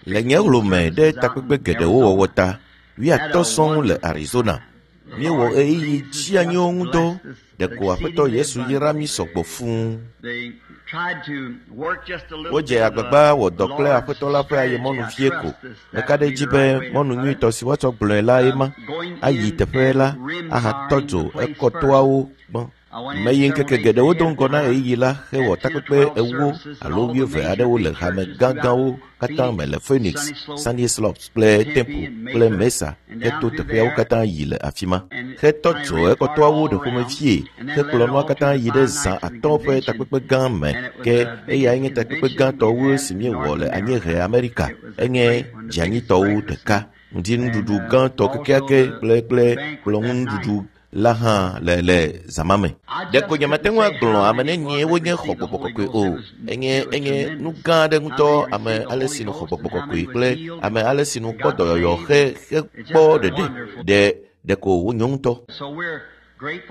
Le nye hlome ɖe takpekpe geɖewo wɔwɔ ta, wuiatɔ̃ sɔŋ le Arizona. Míewɔ ɣeyiɣi dzianyiwo ŋu dɔ. Ɖeko Aƒetɔ Yesu yra mí sɔgbɔ fũu. Wodze agbagba wɔ dɔ kple Aƒetɔ la ƒe ayemɔnu vie ko. Meka ɖe edzi be mɔnu nyuitɔ si woatsɔ gblɔe lae ma. Ayi teƒe la ahatɔ dzo ekɔtoawo gbɔ. Meyi ŋkeke geɖewo do ŋgɔ na ɣeyiɣi la hewɔ takpekpe ewo alo wuieve aɖewo le hame gãgãwo katã me le Phoenix, Sunny Slopes kple Temple kple Mesa heto teƒeawo katã yi le afi ma. Hetɔ dzo ekɔtɔawo ɖe ƒomevie hekplɔ nua katã yi ɖe zã atɔ̃ ƒe takpekpe gã me ke eyae nye takpekpe gãtɔ wu si míewɔ le anyiehe Amerika. Enye dzianyitɔwo ɖeka. Ŋdinuɖuɖu gãtɔ kekeake kple kple kplɔ̃ŋunuɖuɖu la hã le le zama me. Ɖeko nyemate ŋu agblɔ ame nenie wonye xɔ gbɔgbɔ kɔkɔe o. Enye enye nu gã aɖe ŋutɔ ame ale si nu xɔ gbɔgbɔ kɔkɔe kple ame ale si nu kpɔ dɔyɔyɔ he hekpɔ ɖeɖe ɖe ɖeko wonyo ŋutɔ.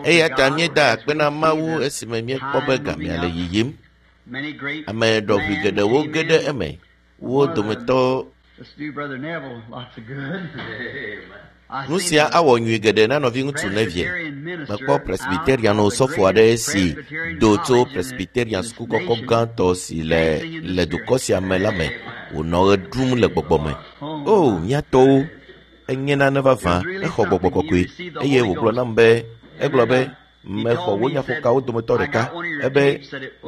Eya ta míeda akpe na Mawu esime míekpɔ be gamea le yiyim. Ame ɖɔʋui geɖewo ge ɖe eme. Wo dometɔ Nu sia awɔ nyui geɖe na nɔviŋutsu Nevie. Mekpɔ Presbyterian osɔfo aɖe si do tso Presbyterian suku kɔkɔ gãtɔ si le le dukɔ sia me la me wònɔ ɣe ɖum le gbɔgbɔ me. O, mía tɔwo! Enye nane vavã, exɔ gbɔgbɔ kɔkɔe eye wògblɔ nam be, egblɔ be, mexɔ wò nyaƒokawo dometɔ ɖeka ebe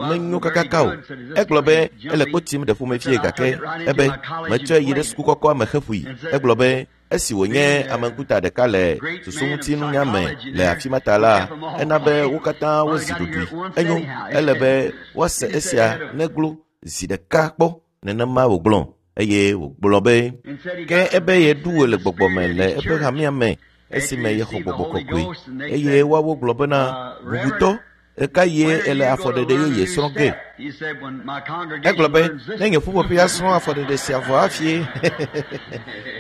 menyo kakaka o. Egblɔ be ele kpo tim ɖe ƒomevie gake ebe metsɔe yi ɖe suku kɔkɔa me heƒoe. Egblɔ be esi wònye ame ŋkuta ɖeka le susuŋutinunya me le afi ma ta la, ena be wo katã wozi ɖoɖoe. Enyo, ele be woase esia neglo zi ɖeka kpɔ. Nenema wògblɔ eye wògblɔ be ke ebe yeɖu wò le gbɔgbɔ me le eƒe hamea me esime yexɔ gbɔgbɔ kɔkɔe eye woawo gblɔ bena bubutɔ ɣekaɣie ele afɔɖeɖe yeye srɔ̃ ge egblɔ be ne nye ƒuƒoƒea srɔ̃ afɔɖeɖe sia vɔ hafi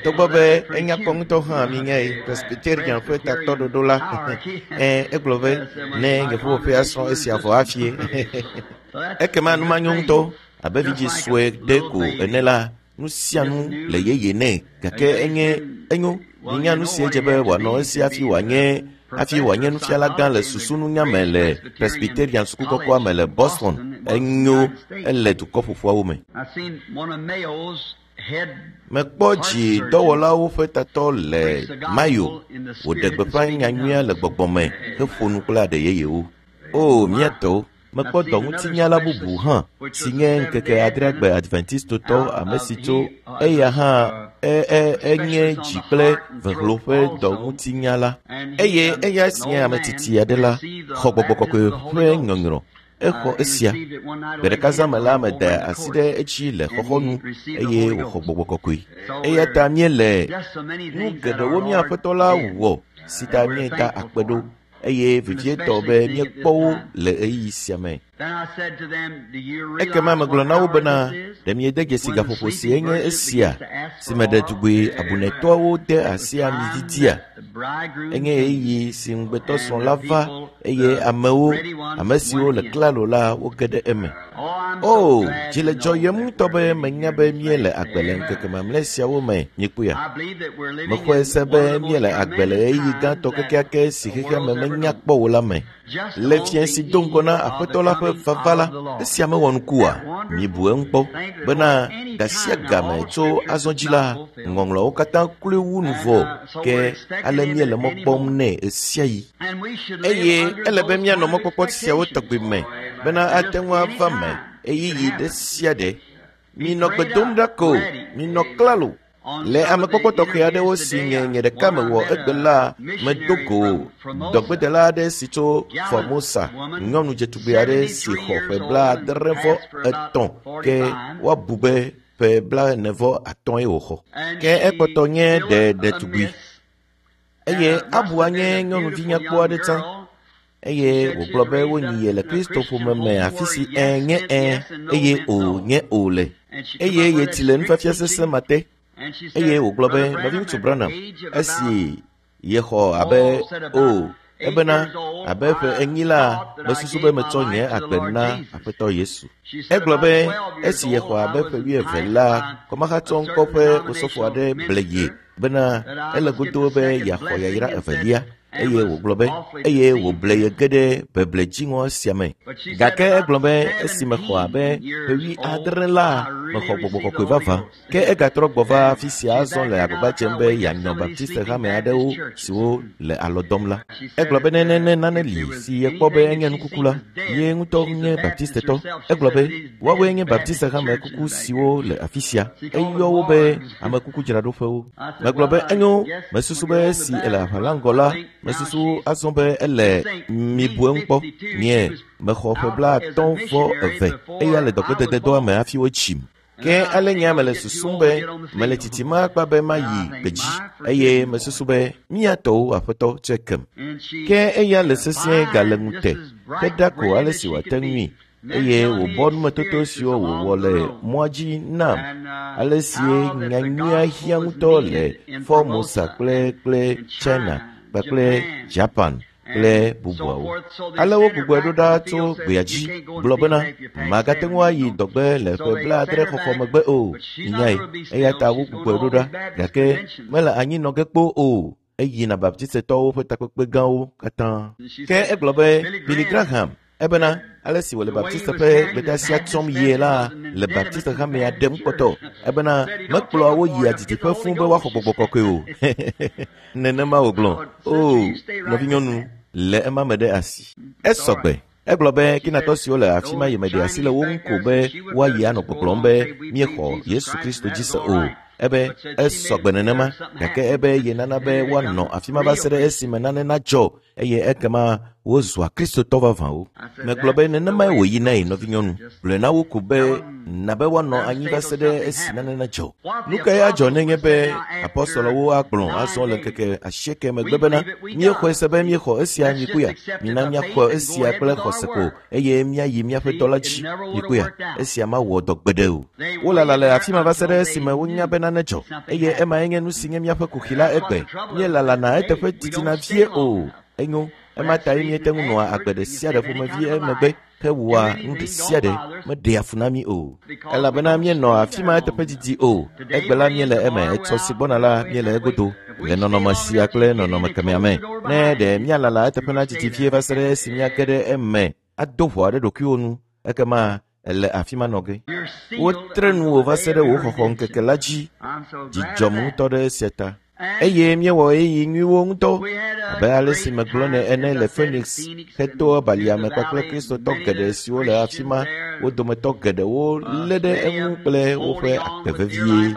togbɔ be enya kpɔ ŋutɔ hã minyae Presbyterian ƒe tatɔɖoɖo la ɛ egblɔ be ne nye ƒuƒoƒea srɔ̃ esia vɔ hafi ekema nu manyo ŋutɔ abe vidzĩ sue ɖe ko ene la nu sia nu le yeye nɛ gake enye enyo minya nu si edze be wòanɔ esi hafi wòanye hafi wòanye nufiala gã le susununya me le Presbyterian suku kɔkɔa me le Boston. Enyo ele dukɔ ƒoƒuawo me. Mekpɔ dzi dɔwɔlawo ƒe tatɔ le Mayo wòɖe gbeƒã nyanyuia le gbɔgbɔ me heƒo nu kple aɖe yeyewo. O, mía tɔwo! Mekpɔ dɔŋutinyala bubu hã si nye ŋkeke adreagbe Adventistotɔ ame si tso eya hã e, e, enye dzi kple vehlo ƒe dɔŋutinyala eye eya si nye ame tsitsi aɖe la xɔ gbɔgbɔ kɔkɔe ƒe nyɔnyrɔ. Exɔ esia. Gbe ɖeka zã me la meda asi ɖe edzi le xɔxɔnu eye wòxɔ gbɔgbɔ kɔkɔe. Eya ta míele nu geɖewo mía Aƒetɔ la wɔ si ta míeda akpe ɖo eye vevietɔ be míekpɔ wo le ɣeyiɣi sia me. Ekema megblɔ na wo bena, ɖe miede dzesi gaƒoƒo si enye esia si me ɖetugbui abunɛtɔawo de asi ami didia? Enye ɣeyiɣi si ŋugbetɔsrɔ̃ la va eye amewo, ame siwo le klalo la, woge ɖe eme. O, dzi le dzɔyem ŋutɔ be menya be míele agbe le ŋkeke mamlɛ siawo me, míekpɔea? Mexɔe se be míele agbe le ɣeyiɣi gãtɔ kekeake si xexea me menya kpɔ o la me. Le fiẽ si do ŋgɔ na Aƒetɔ la ƒe vava la, esia mewɔ nuku oa? Mibu eŋu kpɔ bena gasia game tso azɔ dzi la, ŋɔŋlɔawo katã kloe wu nu vɔ ke ale míele mɔ kpɔm nɛ ɣesiaɣi. Eye ele be míanɔ mɔkpɔkpɔ siawo tɔgbi me bena ate ŋu ava me ɣeyiɣi ɖe sia ɖe. Minɔ gbe dom ɖa ko, minɔ klalo. Le amekpɔkpɔ tɔxɛ aɖewo si nye nye ɖeka mewɔ egbe la, medo go dɔgbedela aɖe si tso Formosa, nyɔnu dzetugbe aɖe si xɔ ƒe 83 ke woabu be ƒe 45 wòxɔ. Ke ekpɔtɔ nye ɖe ɖetugbui eye abua nye nyɔnuvi nyakpɔ aɖe tsã. Eye wògblɔ be wonyi ye le Kristo ƒome me afi si ẽ nye ẽ eye o nye o le. Eye yetsi le nufiafia sesẽ ma te. Eye wògblɔ be, nɔviŋutsu Branham, esi yexɔ abe o Ebena abe ƒe enyi la, mesusu be metsɔ nye agbe na Aƒetɔ Yesu. Egblɔ be esi yexɔ abe ƒe wuieve la, kɔmahatsɔ ŋkɔ ƒe osɔfo aɖe ble ye bena ele godo be yeaxɔ yayra evelia eye wògblɔ be eye wòble ye ge ɖe beble dziŋɔ sia me. Gake egblɔ be esi mexɔ abe ƒe wuiadre la, mexɔ gbɔgbɔ kɔkɔe vavã. Ke egatrɔ gbɔ va afi sia azɔ le agbagba dzem be yeanyɔ Baptiste hame aɖewo siwo le alɔ dɔm la. Egblɔ be ne ne nane li si yekpɔ be enye nukuku la, ye ŋutɔ nye Baptistetɔ. Egblɔ be woawoe nye Baptiste hame kuku siwo le afi sia. Eyɔ wo be ame kukudzraɖoƒewo. Megblɔ be enyo, mesusu be esi ele aʋa la ŋgɔ la, mesusu azɔ be ele mibu eŋu kpɔ. Nye, mexɔ ƒe 55 eya le dɔgbedededɔa me hafi wotsim. Ke ale nye mele susum be mele tsitsim akpa be mayi gbedzi eye mesusu be mía tɔwo aƒetɔ tsɔe kem. Ke eya le sesĩe gale ŋute heɖa ko ale si wòate ŋui eye wòbɔ numetoto siwo wòwɔ le mɔa dzi nam ale si nyanyuia hiã ŋutɔ le Formosa kple kple China kpakple Japan kple bubuawo. Ale wogbugbɔe ɖo ɖa tso gbea dzi gblɔ bena magate ŋu ayi dɔgbe le ƒe blaadre xɔxɔ megbe o. Nyae, eya ta wogbugbɔe ɖo ɖa gake mele anyi nɔ ge kpoo o. Eyina Baptistetɔwo ƒe takpekpe gãwo katã. Ke egblɔ be Billy Graham ebena ale si wòle Baptiste ƒe gbedeasia tsɔm yie la le Baptiste hamea ɖem kpɔtɔ. Ebena mekplɔa wo yia didiƒe fũu be woaxɔ gbɔgbɔ kɔkɔe o. Nenema wògblɔ. O, nɔvinyɔnu, le ema me ɖe asi. Esɔgbe. Egblɔ be Kinatɔ siwo le afi ma yi meɖe asi le wo ŋu ko be woayi anɔ gbɔgblɔm be míexɔ Yesu Kristo dzi se o. Ebe esɔgbe nenema, gake ebe yenana be woanɔ afi ma va se ɖe esime nane nadzɔ eye ekema wozua Kristotɔ vavãwo. Megblɔ be nenemae wòyinae nɔvinyɔnu. Gblɔe na wo ko be na be woanɔ anyi va se ɖe esi nane nadzɔ. Nu kae adzɔ nenye be apɔstɔlɔwo agblɔ azɔ le ŋkeke asieke megbe bena míexɔe se be míexɔ esia nyikuya, mina míaxɔ esia kple xɔse ko eye míayi míaƒe dɔ la dzi nyikuya. Esia mawɔ dɔ gbeɖe o. Wolala le afi ma va se ɖe esime wonya be nane dzɔ eye emae nye nu si nye míaƒe kuxi la egbe. Míelalana eteƒe didina vie o. Enyo, ema tae míete ŋu nɔa agbe ɖe sia ɖe ƒomevi emegbe hewɔa nu ɖe sia ɖe meɖea fu na mí o. Elabena míenɔ afi ma eteƒe didi o. Egbe la míele eme, etsɔ si gbɔna la míele egodo le nɔnɔme sia kple nɔnɔme kemɛa me. Ne ɖe míalala eteƒe na didi vie va se ɖe esi míage ɖe eme ado ʋɔa ɖe ɖokuiwo nu, ekema ele afi ma nɔ ge. Wotre nuwò va se ɖe wò xɔxɔ ŋkeke la dzi. Dzidzɔm ŋutɔ ɖe esia ta. Eye míewɔ ɣeyiɣi nyuiwo ŋutɔ abe ale si megblɔ nɛ ene le Phoenix hetoa balia me kpakple Kristotɔ geɖe siwo le afi ma, wo dometɔ geɖewo lé ɖe eŋu kple woƒe agbe vevie.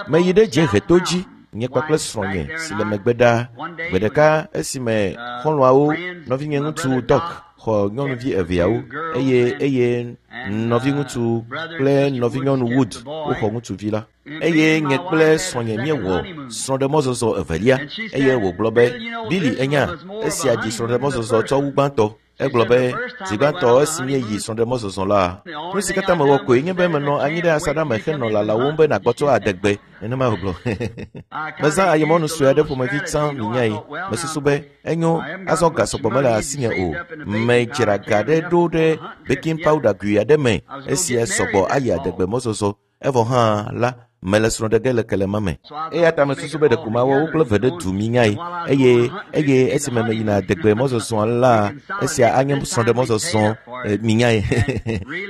Meyi ɖe dzieheto dzi, nye kpakple srɔ̃nye si le megbe ɖaa. Gbe ɖeka esime xɔlɔ̃awo, nɔvinye ŋutsu Doc xɔ nyɔnuvi eveawo eye eye nɔviŋutsu kple nɔvinyɔnu Wood woxɔ ŋutsuvi la. Eye nye kple srɔ̃nye míewɔ srɔ̃ɖemɔzɔzɔ evelia eye wògblɔ be Billy enya esia dzi srɔ̃ɖemɔzɔzɔ tsɔ wu gbãtɔ. Egblɔ be zi gbãtɔ esi míeyi srɔ̃ɖemɔzɔzɔ la, nu si katã mewɔ koe nye be menɔ anyi ɖe asaɖa me henɔ lalawòm be nàgbɔtsɔ adegbe. Nenema wògblɔ. Mezã ayemɔnu sue aɖe ƒomevi tsã minyae. Mesusu be enyo azɔ ga sɔgbɔ mele asinye o. Medzra ga ɖe ɖo ɖe baking powder gui aɖe me esia sɔgbɔ ayi adegbe mɔzɔzɔ. Evɔ hã la, mele srɔ̃ ɖe ge le kelema me. Eya ta mesusu be ɖeko mawɔ wo kple ve ɖe du minyae eye eye esime meyina adegbe mɔzɔzɔa la, esia anye srɔ̃ɖemɔzɔzɔ minyae.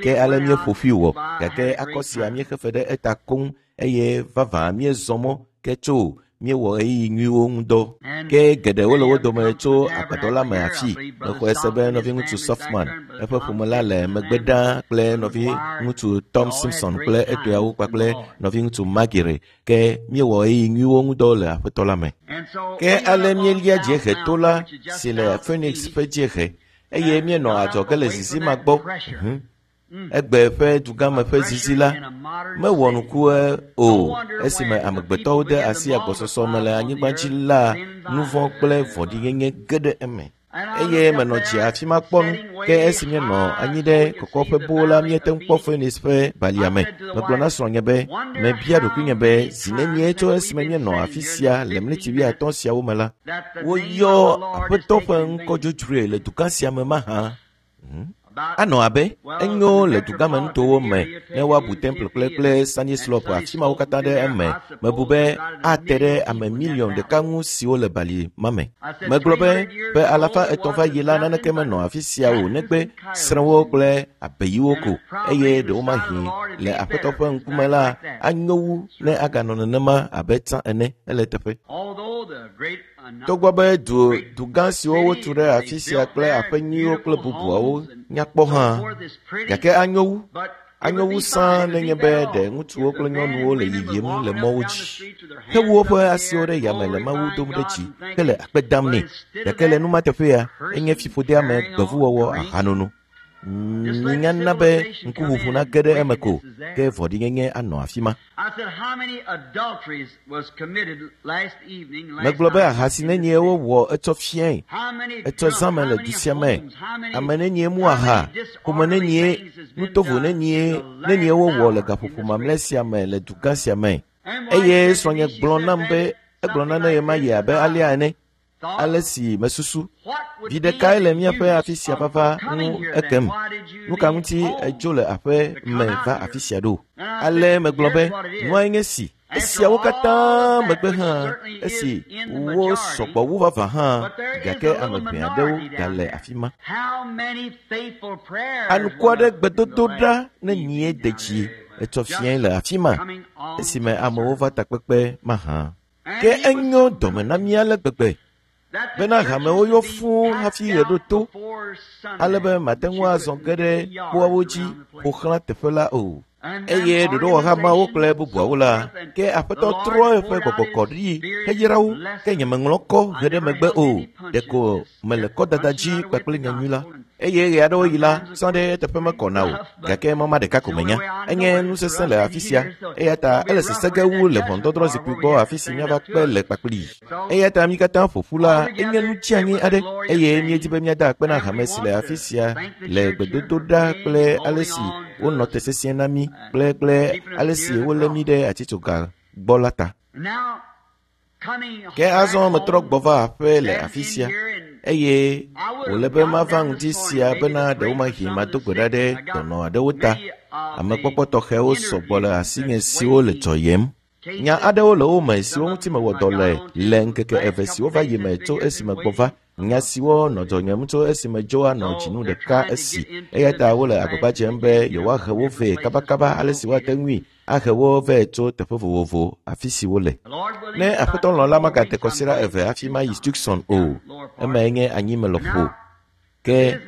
Ke ale míeƒo ƒui wɔ gake akɔ sia míexe fe ɖe eta koŋ eye vavã míezɔ mɔ ke tso míewɔ ɣeyiɣi nyuiwo ŋu dɔ. Ke geɖewo le wo dome tso agbadɔ la me afi. Mexɔe se be nɔviŋutsu Softman, eƒe ƒome la le megbe ɖaa kple nɔviŋutsu Tom Simpson kple etɔeawo kpakple nɔviŋutsu Magire. Ke míewɔ ɣeyiɣi nyuiwo ŋu dɔ le aƒetɔ la me. Ke ale míelia dziehe to la si le Phoenix ƒe dziehe eye míenɔ adzɔge le zizi ma gbɔ. Egbe ƒe dugãme ƒe zizi la mewɔ nuku o esime amegbetɔwo de asi agbɔsɔsɔ me le anyigba dzi la nu vɔ̃ kple vɔ̃ɖinyenye ge ɖe eme. Eye menɔ dzi afi ma kpɔ nu. Ke esi míenɔ anyi ɖe kɔkɔƒe boo la, míete ŋu kpɔ Phoenix ƒe balia me. Megblɔ na srɔ̃nye be, mebia ɖokuinye be, zi nenie tso esime míenɔ afi sia le ɣleti 50 siawo me la, woyɔ Aƒetɔ ƒe ŋkɔ dzodzroe le dugã sia me mahã? Anɔ abe enyo le dugãmenutowo me ne woabu Temple kple Sunny Slope afi mawo katã ɖe eme. Mebu be ate ɖe ame 1 miliɔn ŋu siwo le bali ma me. Megblɔ be ƒe 300 va yi la naneke menɔ afi sia o negbe srẽwo kple abeyiwo ko, eye ɖewomahi le Aƒetɔ ƒe ŋkume la anyo wu ne aganɔ nenema abe tsã ene. Ele teƒe. Togbɔ be dugã siwo wotu ɖe afi sia kple aƒe nyuiwo kple bubuawo nyakpɔ hã, gake anyo wu sãa nenye be ɖe ŋutsuwo kple nyɔnuwo le yiyim le mɔwo dzi hewu woƒe asiwo ɖe yame le Mawu dom ɖe dzi hele akpe dam nɛ. Gake le numa teƒea, enye fiƒodeame, gbevuwɔwɔ, ahanono. Minyana be ŋkuʋuʋu nage ɖe eme ko, ke vɔ̃ɖinyenye anɔ afi ma. Megblɔ be ahasi nenie wowɔ etsɔ fiae, etsɔ zãme le du sia me. Ame nenie mu aha, ƒome nenie, nutovo nenie wowɔ le gaƒoƒo mamlɛ sia me le dugã sia me. Eye srɔ̃nye gblɔ nam be egblɔ nane ɣemaɣi abe alea ene. Ale si mesusu, vi ɖekae le míaƒe afi sia vava ŋu ekem. Nu ka ŋuti edzo le aƒe me va afi sia ɖo? Ale megblɔ be nuae nye si. Esiawo katã megbe hã, esi wo sɔgbɔ wu vavã hã, gake ame ʋɛ aɖewo gale afi ma. Anukua ɖe gbedodoɖa ne nyie de dzi etsɔ fiae le afi ma, esime amewo va takpekpe mahã. Ke enyo dɔme na mí ale gbegbe bena hamewo yɔ fũu hafi ɣe ɖo to, ale be mate ŋu azɔ ge ɖe kpoawo dzi ƒo xlã teƒe la o. Eye ɖoɖowɔhamawo kple bubuawo la, ke Aƒetɔ trɔ eƒe gbɔgbɔ kɔ ɖi heyra wo, ke nyemeŋlɔ kɔ he ɖe megbe o, ɖeko mele kɔdada dzi kpakple nyanyui la. Eye ɣe aɖewo yi la, sã ɖe eteƒe mekɔna o, gake mɔma ɖeka ko menya. Enye nu sesẽ le afi sia, eya ta ele sesẽ ge wu le ʋɔnudɔdrɔ̃ zikpui gbɔ afi si míava kpe le kpakplii. Eya ta mí katã ƒo ƒu la, enye nu tsianyi aɖe, eye míedi be míada akpe na hame si le afi sia le gbedodoɖa kple ale si wonɔ te sesĩe na mí kple ale si wolé mí ɖe atitsoga gbɔ la ta. Ke azɔ metrɔ gbɔ va aƒe le afi sia, eye wòle be mava ŋdi sia bena ɖewomahi mado gbe ɖa ɖe dɔnɔ aɖewo ta. Amekpɔkpɔ tɔxɛwo sɔgbɔ le asinye siwo le dzɔyem. Nya aɖewo le wo me siwo ŋuti mewɔ dɔ le ŋkeke eve siwo va yi me tso esime gbɔ va. Nya siwo nɔ dzɔnyem tso esime dzo anɔ dzinu ɖeka esi. Eya ta wole agbagba dzem be yewoahe wo vɛ kabakaba ale si woate ŋui ahe wo vɛ tso teƒe vovovo afi si wole. Ne Aƒetɔ lɔ̃ la magade kɔsiɖa eve hafi mayi Tucson o, emae nye anyime lɔƒo. Ke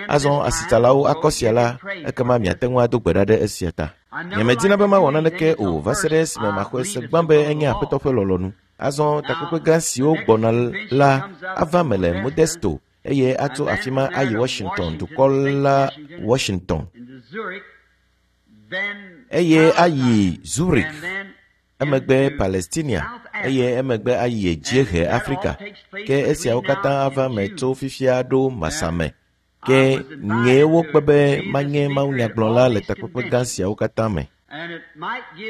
azɔ asitsalawo akɔ sia la, ekema miate ŋu ado gbe ɖa ɖe esia ta. Nyemedina be mawɔ naneke o va se ɖe esime maxɔe se gbã be enye Aƒetɔ ƒe lɔlɔ̃nu. Azɔ takpekpe gã siwo gbɔna la ava me le Modesto, eye atso afi ma ayi Washington, dukɔ la Washington, eye ayi Zurich, emegbe Palestinia, eye emegbe ayi dziehe Afrika. Ke esiawo katã ava me tso fifia ɖo Masame. Ke nyee wokpe be manye mawunyagblɔla le takpekpe gã siawo katã me.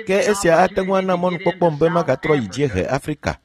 Ke esia ate ŋu ana mɔnukpɔkpɔm be magatrɔ yi dziehe Afrika.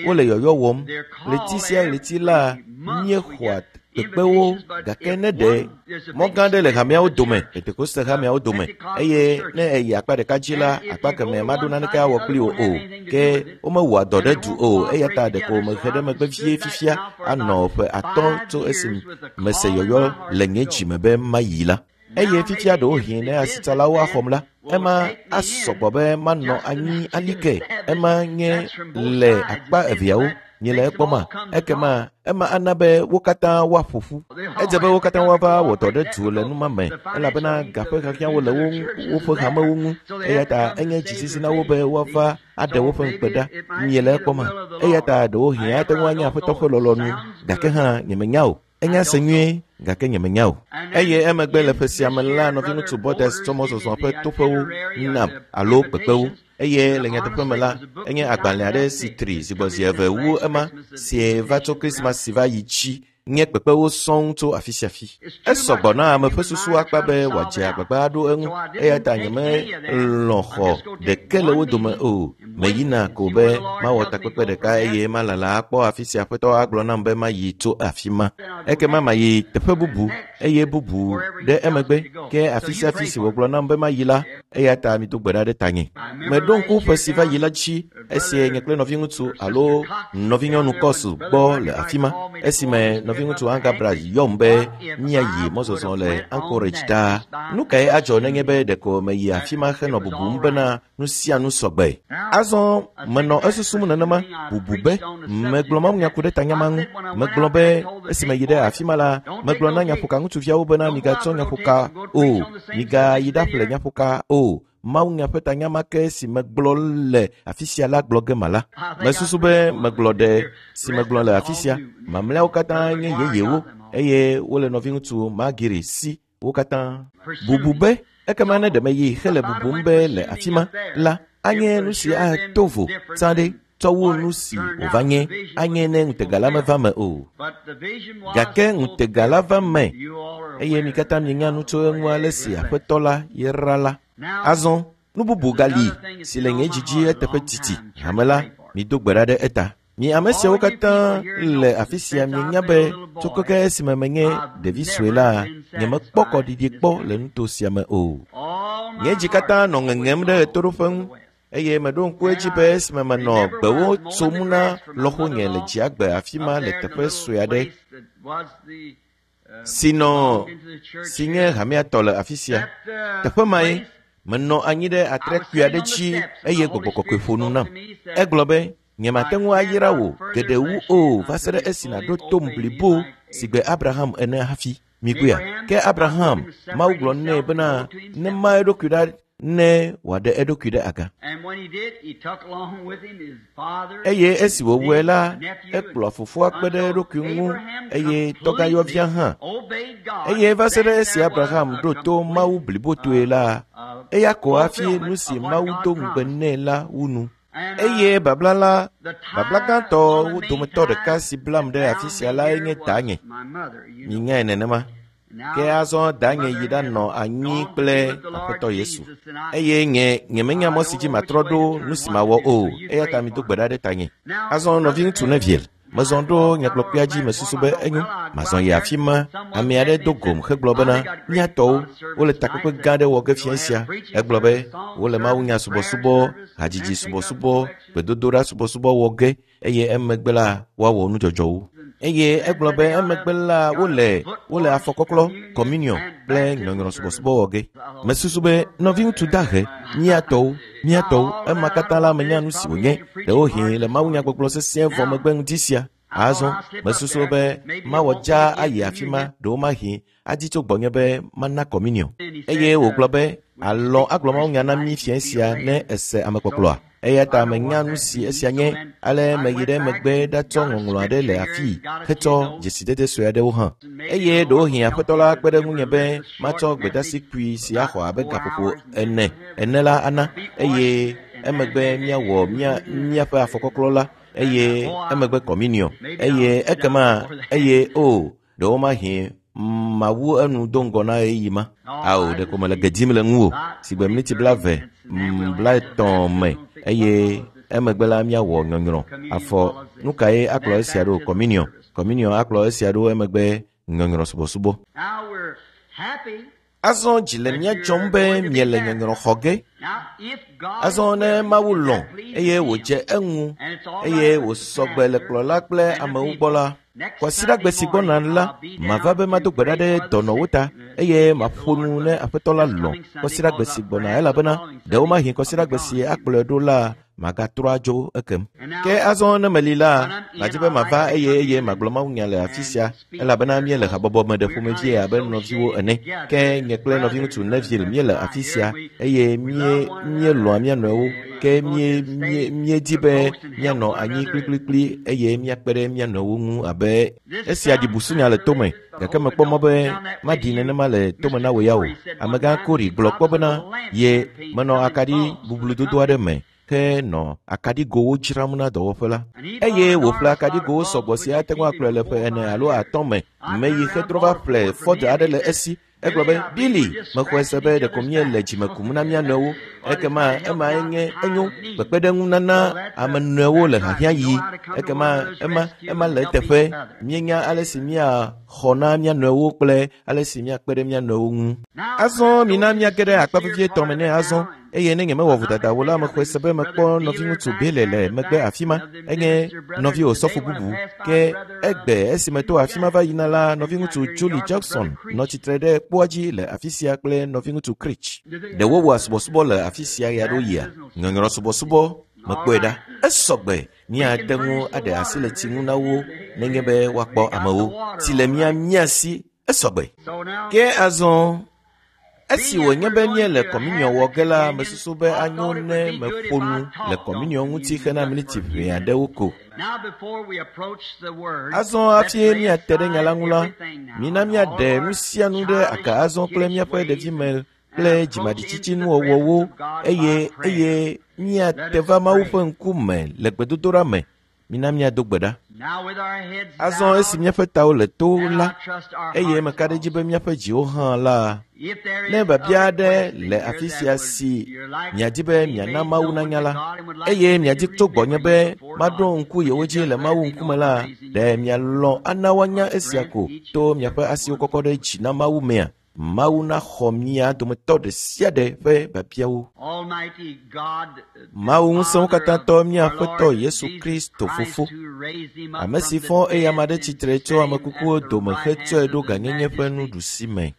Wole yɔyɔ wɔm. Ɣleti sia ɣleti la míexɔa kpekpewo, gake ne ɖe mɔ gã aɖe le hameawo dome, Pentekoste hameawo dome, eye ne eyi akpa ɖeka dzi la, akpa kemɛ maɖo naneke awɔ kpli wo o. Ke womewɔa dɔ ɖe du o, eya ta ɖeko mehe ɖe megbe vie fifia anɔ ƒe 5 tso esi mese yɔyɔ le nye dzime be mayi la. Eye fifia ɖewohĩ ne asitsalawo axɔm la, ema asɔgbɔ be manɔ anyi alike. Ema nye le akpa eveawo. Miele ekpɔma? Ekema ema ana be wo katã woaƒo ƒu. Edze be wo katã woava wɔ dɔ ɖe du le numa me, elabena gaƒe xaxɛawo le woƒe hamewo ŋu. Eya ta enye dzisisi na wo be woava aɖe woƒe ŋukpe ɖa. Miele ekpɔma? Eya ta ɖewohĩ ate ŋu anye Aƒetɔ ƒe lɔlɔ̃nu, gake hã nyemenya o. Enya se nyuie, gake nyemenya o. Eye emegbe le ƒe sia me la, nɔviŋutsu Borders tsɔ mɔzɔzɔ ƒe toƒewo nam alo kpekpewo. Eye le nyateƒe me la, enye agbalẽ aɖe si tri zigbɔzi eve wu ema si va tso Krismas si va yi dzi. Nye kpekpewo sɔŋ tso afi sia afi. Esɔgbɔ na ame ƒe susu akpa be wòadze agbagba aɖo eŋu, eya ta nyemelɔ̃ xɔ ɖeke le wo dome o. Meyina ko be mawɔ takpekpe ɖeka eye malala akpɔ afi sia Aƒetɔ agblɔ nam be mayi tso afi ma. Ekema mayi teƒe bubu eye bubu ɖe emegbe. Ke afi sia afi si wògblɔ nam be mayi la, eya ta mido gbe ɖa ɖe tanye. Meɖo ŋku ƒe si va yi la dzi esi nye kple nɔviŋutsu alo nɔvinyɔnu Kɔs gbɔ le afi ma, esime nɔviŋutsu Angabra yɔm be míayi mɔzɔzɔ le Anchorage ɖaa. Nu kae adzɔ nenye be ɖeko meyi afi ma henɔ bubum bena nu sia nu sɔgbe? Azɔ menɔ esusum nenema, bubu be megblɔ mawunya ku ɖe tanya ma ŋu. Megblɔ be esi meyi ɖe afi ma la, megblɔ na nyaƒoka ŋutsuviawo bena migatsɔ nyaƒoka o, migayi ɖaƒle nyaƒoka o. Mawunya ƒe tanya ma ke si megblɔ le afi sia la gblɔ ge mala. Mesusu be megblɔ ɖe si megblɔ le afi sia. Mamlɛawo katã nye yeyewo eye wole nɔviŋutsu Magiri si wo katã. Bubu be ekema ne ɖe meyi hele bubum be le afi ma la, anye nu si ato vo tsã ɖe tsɔ wu nu si wòva nye, anye ne ŋutega la meva me o. Gake ŋutega la va me eye mi katã mienya nu tso eŋu ale si Aƒetɔ la yra la. Azɔ, nu bubu gali si le nye dzi dzi eteƒe didi. Hame la, mido gbe ɖa ɖe eta. Mi ame siawo katã le afi sia mienya be tso keke esime menye ɖevi sue la, nyemekpɔ kɔɖiɖi kpɔ le nuto sia me o. Nye dzi katã nɔ ŋeŋem ɖe ɣetoɖoƒe ŋu eye meɖo ŋku edzi be esime menɔ gbewo tsom na lɔƒonye le dziagbe afi ma le teƒe sue aɖe si nɔ si nye hamea tɔ le afi sia. Teƒe mae menɔ anyi ɖe atrekpui aɖe dzi eye gbɔgbɔ kɔkɔe ƒo nu nam. Egblɔ be, nyemate ŋu ayra wò geɖe wu o va se ɖe esi nàɖo tom blibo sigbe Abraham ene hafi. Mikpɔea? Ke Abraham, Mawu gblɔ nɛ bena nema eɖokui ɖa ne wòaɖe eɖokui ɖe aga. Eye esi wòwɔe la, ekplɔ fofoa kpe ɖe eɖokui ŋu eye tɔgãyɔvia hã. Eye va se ɖe esi Abraham ɖo to Mawu blibotoe la, eya ko hafi nu si Mawu do ŋugbe nɛ la wu nu. Eye babla la, babla gãtɔwo dometɔ ɖeka si blam ɖe afi sia lae nye danye. Minyae nenema. Ke azɔ danye yi ɖanɔ anyi kple Aƒetɔ Yesu. Eye nye nyemenya mɔ si dzi matrɔ ɖo nu si mawɔ o, eya ta mido gbe ɖa ɖe tanye. Azɔ nɔviŋutsu Neville, mezɔ ɖo nyagblɔkpea dzi mesusu be enyo, mazɔ yi afi ma. Ame aɖe do gom hegblɔ bena, mía tɔwo, wole takpekpe gã aɖe wɔ ge fiẽ sia. Egblɔ be, wole mawunya subɔsubɔ, hadzidzi subɔsubɔ, gbedodoɖa subɔsubɔ wɔ ge eye emegbe la woawɔ nudzɔdzɔwo. Eye egblɔ be emegbe la wole wole afɔkɔklɔ, communion kple nyɔnyrɔ subɔsubɔ wɔ ge. Mesusu be nɔviŋutsu dahe, mía tɔwo, mía tɔwo, ema katã la menya nu si wònye. Ɖewohĩ le mawunyagbɔgblɔ sesĩe vɔ megbe ŋdi sia. Azɔ, mesusu be mawɔ dzaa ayi afi ma, ɖewomahi adi tso gbɔnye be mana communion. Eye wògblɔ be, alɔ̃ agblɔ mawunya na mí fiẽ sia ne ese amekpɔkplɔa. Eya ta menya nu si esia nye, ale meyi ɖe megbe ɖatsɔ ŋɔŋlɔ aɖe le afii hetsɔ dzesidede sue aɖewo hã. Eye ɖewohĩ Aƒetɔ la kpe ɖe ŋunye be matsɔ gbedasi kpui si axɔ abe gaƒoƒo ene ene la ana, eye emegbe míawɔ mía míaƒe afɔkɔklɔ la, eye emegbe communion, eye ekema, eye o, ɖewomahi mawu enu do ŋgɔ na ɣeyiɣi ma. Ao, ɖeko mele ge dim le ŋuwò sigbe miniti 20, 30 me, eye emegbe la míawɔ nyɔnyrɔ. Afɔ, nu kae akplɔ esia ɖo? Communion. Communion akplɔ esia ɖo emegbe nyɔnyrɔ subɔsubɔ. Azɔ dzi le mía dzɔm be miele nyɔnyrɔ xɔ ge. Azɔ ne Mawu lɔ̃ eye wòdze eŋu eye wòsɔgbe le kplɔla kple amewo gbɔ la, kwasiɖagbe si gbɔna la, mava be mado gbe ɖa ɖe dɔnɔwo ta eye maƒo nu ne Aƒetɔ la lɔ̃ kwasiɖagbe si gbɔna elabena ɖewomahi kwasiɖagbe si akplɔe ɖo la magatrɔ adzo ekem. Ke azɔ ne meli la, madzi be mava eye eye magblɔ mawunya le afi sia elabena míele habɔbɔ me ɖe ƒomevie abe nɔviwo ene. Ke nye kple nɔviŋutsu Neville míele afi sia eye mí míelɔ̃a mía nɔewo ke mí mí míedi be míanɔ anyi kplikplikpli eye míakpe ɖe mía nɔewo ŋu abe esia ɖi busunya le tome gake mekpɔ mɔ be maɖi nenema le tome na wò ya o. Amegã Kori gblɔ kpɔ bena ye menɔ akaɖi bubludodo aɖe me. Henɔ akaɖigowo dzram na dɔwɔƒe la. Eye wòƒle akaɖigowo sɔgbɔ si ate ŋu akplɔe le ƒe 4 alo 5 me. Meyi hetrɔ va ƒle Ford aɖe le esi. Egblɔ be, Billy, mexɔe se be ɖeko míele dzime kum na mía nɔewo. Ekema emae nye enyo kpekpeɖeŋunana ame nɔewo le hiahiãɣi. Ekema ema le eteƒe. Míenya ale si míaxɔ na mía nɔewo kple ale si míakpe ɖe mía nɔewo ŋu. Azɔ mina míage ɖe akpa vevietɔ me nɛ azɔ. Eye ne nyemewɔ vodada o la, mexɔe se be mekpɔ nɔviŋutsu Bele le megbe afi ma. Enye nɔvi osɔfo bubu. Ke egbe esime to afi ma va yina la, nɔviŋutsu Julie Jackson nɔ tsitre ɖe kpoa dzi le afi sia kple nɔviŋutsu Creech. Ɖe wowɔa subɔsubɔ le afi sia ɣeaɖewoɣia? Nyɔnyrɔ subɔsubɔ, mekpɔe ɖa. Esɔgbe. Míate ŋu aɖe asi le tsi ŋu na wo nenye be woakpɔ amewo. Tsi le mía si. Esɔgbe. Ke azɔ esi wònye be míele kɔminiɔ wɔ ge la, mesusu be anyo ne meƒo nu le kɔminiɔ ŋuti hena miniti ʋɛ aɖewo ko. Azɔ hafi míate ɖe nya la ŋu la, mina míaɖe nu sia nu ɖe aga azɔ kple míaƒe ɖevime kple dzimaɖitsitsinuwɔwɔwo eye míate va Mawu ƒe ŋkume le gbedodoɖa me. Mina míado gbe ɖa. Azɔ esi míaƒe tawo le to la, eye meka ɖe edzi be míaƒe dziwo hã la, ne biabia aɖe le afi sia si miadi be miana Mawu nanya la, eye miadi tso gbɔnye be maɖo ŋku yewo dzi le Mawu ŋkume la, ɖe mialɔ̃ ana woanya esia ko to miaƒe asiwo kɔkɔ ɖe dzi na Mawu mea? Mawu naxɔ mía dometɔ ɖe sia ɖe ƒe biabiawo. Mawu ŋusẽwo katãtɔ mía Aƒetɔ Yesu Kristo Fofo, ame si fɔ eyama ɖe tsitre tso ame kukuwo dome hetsɔe ɖo gãnyenye ƒe nuɖusi me.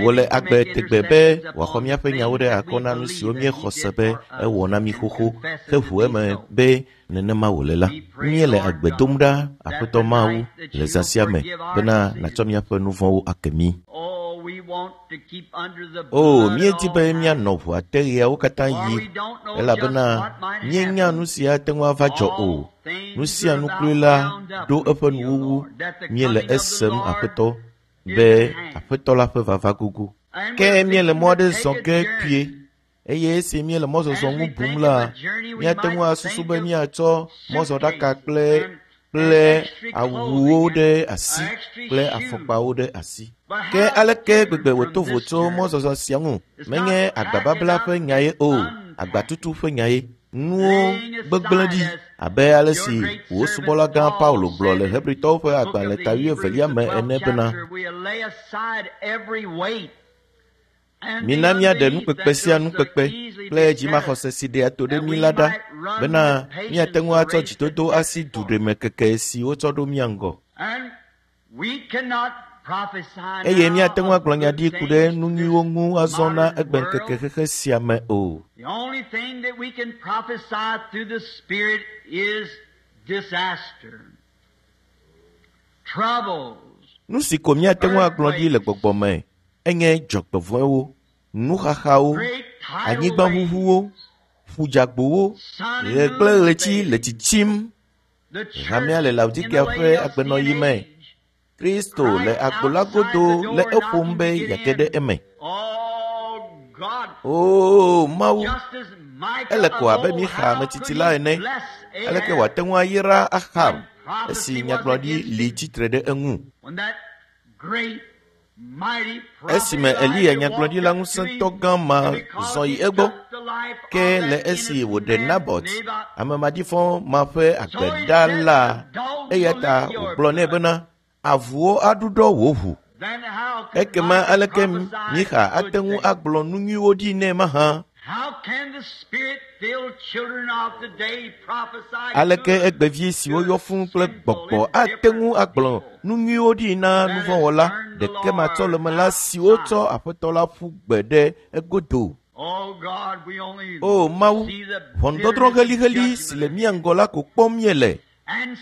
Wòle agbe tegbe be wòaxɔ míaƒe nyawo ɖe akɔ na nu siwo míexɔ se be ewɔ na mí xoxo heʋu eme be nenema wòle la. Míele agbe dom ɖa, Aƒetɔ Mawu, le zã sia me bena nàtsɔ míaƒe nu vɔ̃wo ake mí. O, míedi be míanɔ ʋua te ɣeawo katã yi, elabena míenya nu si ate ŋu ava dzɔ o. Nu sia nu kloe la ɖo eƒe nuwuwu. Míele esem, Aƒetɔ, be Aƒetɔ la ƒe vava gogo. Ke míele mɔ aɖe zɔ ge kpuie. Eye esi míele mɔzɔzɔ ŋu bum la, míate ŋu asusu be míatsɔ mɔzɔɖaka kple awuwo ɖe asi kple afɔkpawo ɖe asi. Ke aleke gbegbe wòto vo tso mɔzɔzɔ sia ŋu? Menye agbababla ƒe nyae o, agbatutu ƒe nyae. Nuwo gbegblẽ ɖi abe ale si wò subɔla gã Paulo gblɔ le Hebritɔwo ƒe agbalẽ ta 22 me ene bena, mina míaɖe nukpekpe sia nukpekpe kple dzimaxɔse si ɖea to ɖe mí la ɖa, bena míate ŋu atsɔ dzidodo asi duɖeme keke si wotsɔ ɖo mía ŋgɔ. Eye míate ŋu agblɔ nya ɖi ku ɖe nu nyuiwo ŋu azɔ na egbeŋkeke xexe sia me o. Nu si ko míate ŋu agblɔ ɖi le gbɔgbɔ me enye dzɔgbevɔ̃ewo, nuxaxawo, anyigbaʋuʋuwo, ƒudzagbowo, ɣe kple ɣleti le tsitsim. Hamea le Laodikea ƒe agbenɔɣi me. Kristo le agbo la godo le eƒom be yeage ɖe eme. Oo Mawu, ele ko abe Mixa ametsitsi la ene. Aleke wòate ŋu ayra Ahab esi nyagblɔɖi li tsitre ɖe eŋu? Esime Eliya nyagblɔɖila ŋusẽtɔ gã ma zɔ yi egbɔ, ke le esi wòɖe Nabot, ame maɖifɔ ma ƒe agbe ɖa la, eya ta wògblɔ nɛ bena, avuwo aɖuɖɔ wò ʋu. Ekema aleke Mixa ate ŋu agblɔ nu nyuiwo ɖi nɛ mahã? Aleke egbevi siwo yɔ fũu kple gbɔgbɔ ate ŋu agblɔ nu nyuiwo ɖi na nuvɔ̃wɔla ɖekematsɔlemela siwo tsɔ Aƒetɔ la ƒu gbe ɖe egodo? O Mawu, ʋɔnudɔdrɔ̃ heliheli si le mía ŋgɔ la ko kpɔm míele.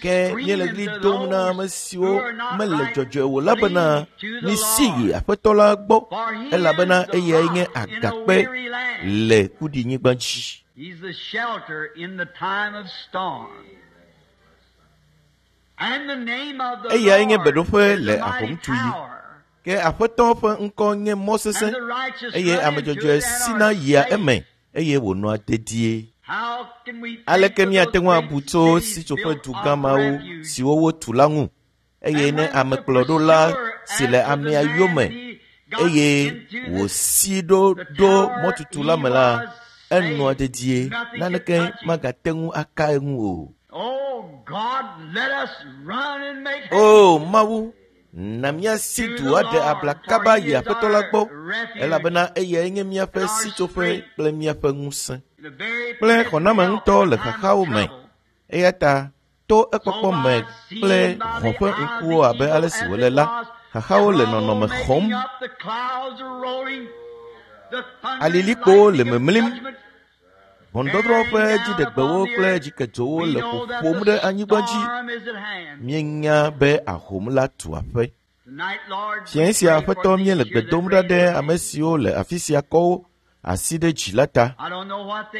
Ke míele ɣli dom na ame siwo mele dzɔdzɔe o la bena, misi yi Aƒetɔ la gbɔ, elabena eyae nye agakpe le kuɖinyigba dzi. Eyae nye beɖoƒe le ahomtuɣi. Ke Aƒetɔ ƒe ŋkɔ nye mɔ sesẽ, eye ame dzɔdzɔe sina yia eme, eye wònɔa dedie. Aleke míate ŋu abu tso sitsoƒedugã mawo siwo wotu la ŋu? Eye ne amekplɔɖola si le amea yome eye wòsi ɖo ɖo mɔtutu la me la, enɔa dedie, naneke magate ŋu aka eŋu o. O Mawu, na míasi du aɖe abla kaba yi Aƒetɔ la gbɔ, elabena eyae nye míaƒe sitsoƒe kple míaƒe ŋusẽ kple xɔname ŋutɔ le xaxawo me. Eya ta to ekpɔkpɔ me kple hɔ̃ ƒe ŋkuwo abe ale si wòle la, xaxawo le nɔnɔme xɔm. Alilikpowo le memlim. Ʋɔnudɔdrɔ̃ ƒe dziɖegbewo kple dzikedzowo le ƒoƒom ɖe anyigba dzi. Míenya be ahom la tu aƒe. Fiẽ sia Aƒetɔ míele gbe dom ɖa ɖe ame siwo le afi sia kɔ wo asi ɖe dzi la ta.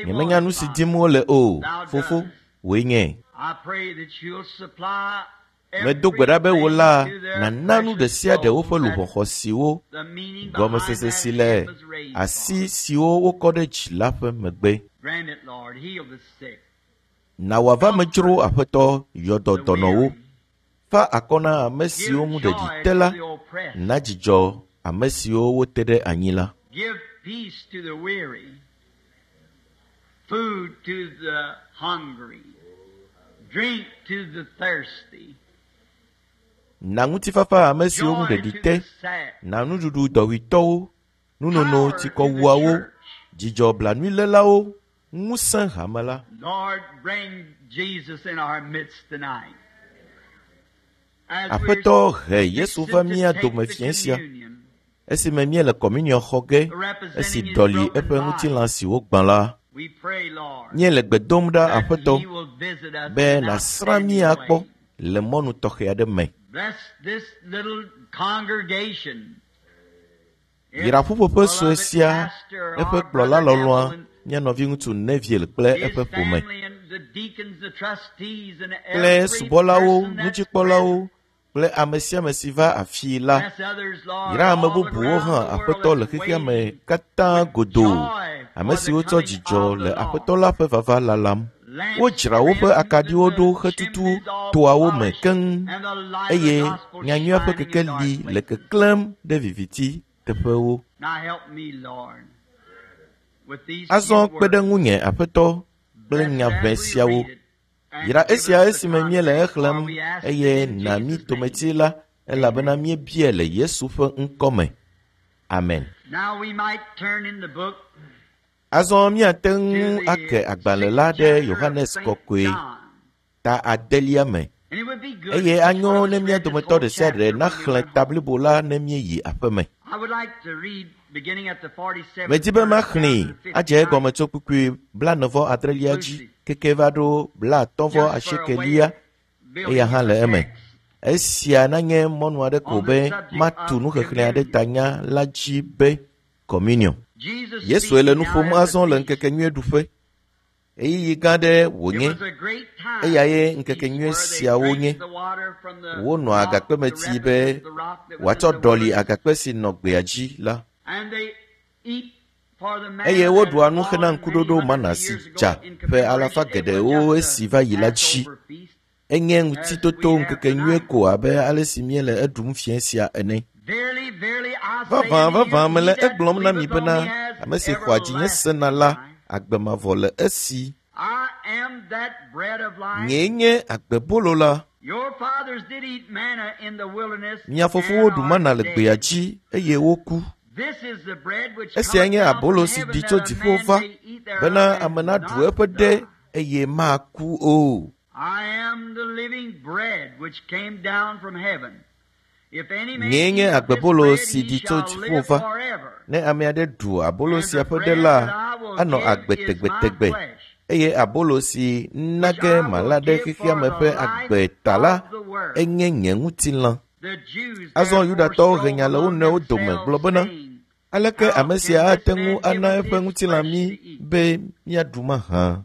Nyemenya nu si dim wole o, Fofo, wòe nye. Medo gbe ɖa be wò la nàna nu ɖe sia ɖe woƒe luʋɔ xɔasiwo, gɔmesese si le asi siwo wokɔ ɖe dzi la ƒe megbe. Na wòava me dzro Aƒetɔ, yɔ dɔ dɔnɔwo. Fa akɔ na ame siwo ŋu ɖeɖi te la, na dzidzɔ ame siwo wote ɖe anyi la. Food to the hungry, drink to the thirsty. Na ŋutifafa ame siwo ŋu ɖeɖi te, na nuɖuɖu dɔwuitɔwo, nunono tsikɔwuawo, dzidzɔ blanuilélawo, ŋusẽ hame la. Lord, bring Jesus in our midst tonight. Aƒetɔ he Yesu va mía dome fiẽ sia esime míele kɔminiɔ xɔ ge esi ɖɔli eƒe ŋutilã si wogbã la. Míele gbe dom ɖa, Aƒetɔ, be nàsrã mí akpɔ le mɔnu tɔxɛ aɖe me. Yra ƒuƒoƒe sue sia, eƒe kplɔla lɔlɔ̃a, mía nɔviŋutsu Neville kple eƒe ƒome, kple subɔlawo, nudzikpɔlawo kple ame sia ame si va afii la. Yra ame bubuwo hã, Aƒetɔ, le xexea me katã godoo, ame siwo tsɔ dzidzɔ le Aƒetɔ la ƒe vava lalam. Wodzra woƒe akaɖiwo ɖo hetutu toawo me keŋ eye nyanyuia ƒe kekeli le keklẽm ɖe viviti teƒewo. Azɔ kpe ɖe ŋunye, Aƒetɔ, kple nya ʋɛ siawo. Yra esia esime míele exlẽm eye na mí tometi la, elabena míebiae le Yesu ƒe ŋkɔ me. Amen. Azɔ míate ŋu ake agbalẽ la ɖe Yohanes Kɔkɔe ta adelia me eye anyo ne mía dometɔ ɖe sia ɖe naxlẽ ta blibo la ne míeyi aƒeme. Medi be maxlẽe adze egɔme tso kpukpui blaene-vɔ-adrelia dzi keke va ɖo blaatɔ̃-vɔ-asiekelia eya hã le eme. Esia nanye mɔnu aɖe ko be matu nuxexlẽ aɖe ta nya la dzi be Communion. Yesue le nu ƒom azɔ le ŋkekenyuieɖuƒe. Ɣeyiɣi gã aɖe wònye. Eyae ŋkekenyuie siawo nye. Wonɔa agakpe me tsi be wòatsɔ ɖɔli agakpe si nɔ gbea dzi la. Eye woɖua nu hena ŋkuɖoɖo mana si dza ƒe alafa geɖewo esi va yi la dzi. Enye ŋutitoto ŋkekenyuie ko abe ale si míele eɖum fiẽ sia ene. Vavã, vavã, mele egblɔm na mi bena, ame si xɔa dzinye sena la, agbe mavɔ le esi. Nyee nye agbebolo la. Mia fofowo ɖu mana le gbea dzi eye woku. Esiae nye abolo si ɖi tso dziƒo va, bena ame naɖu eƒe ɖe eye maku o. Nyee nye agbebolo si ɖi tso dziƒo va. Ne ame aɖe ɖu abolo sia ƒe ɖe la, anɔ agbe tegbetegbe. Eye abolo si na ge mala ɖe xexea me ƒe agbe ta la, enye nye ŋutilã. Azɔ Yudatɔwo he nya le wo nɔewo dome gblɔ bena, Aleke ame sia ate ŋu ana eƒe ŋutilã mí be míaɖu mahã?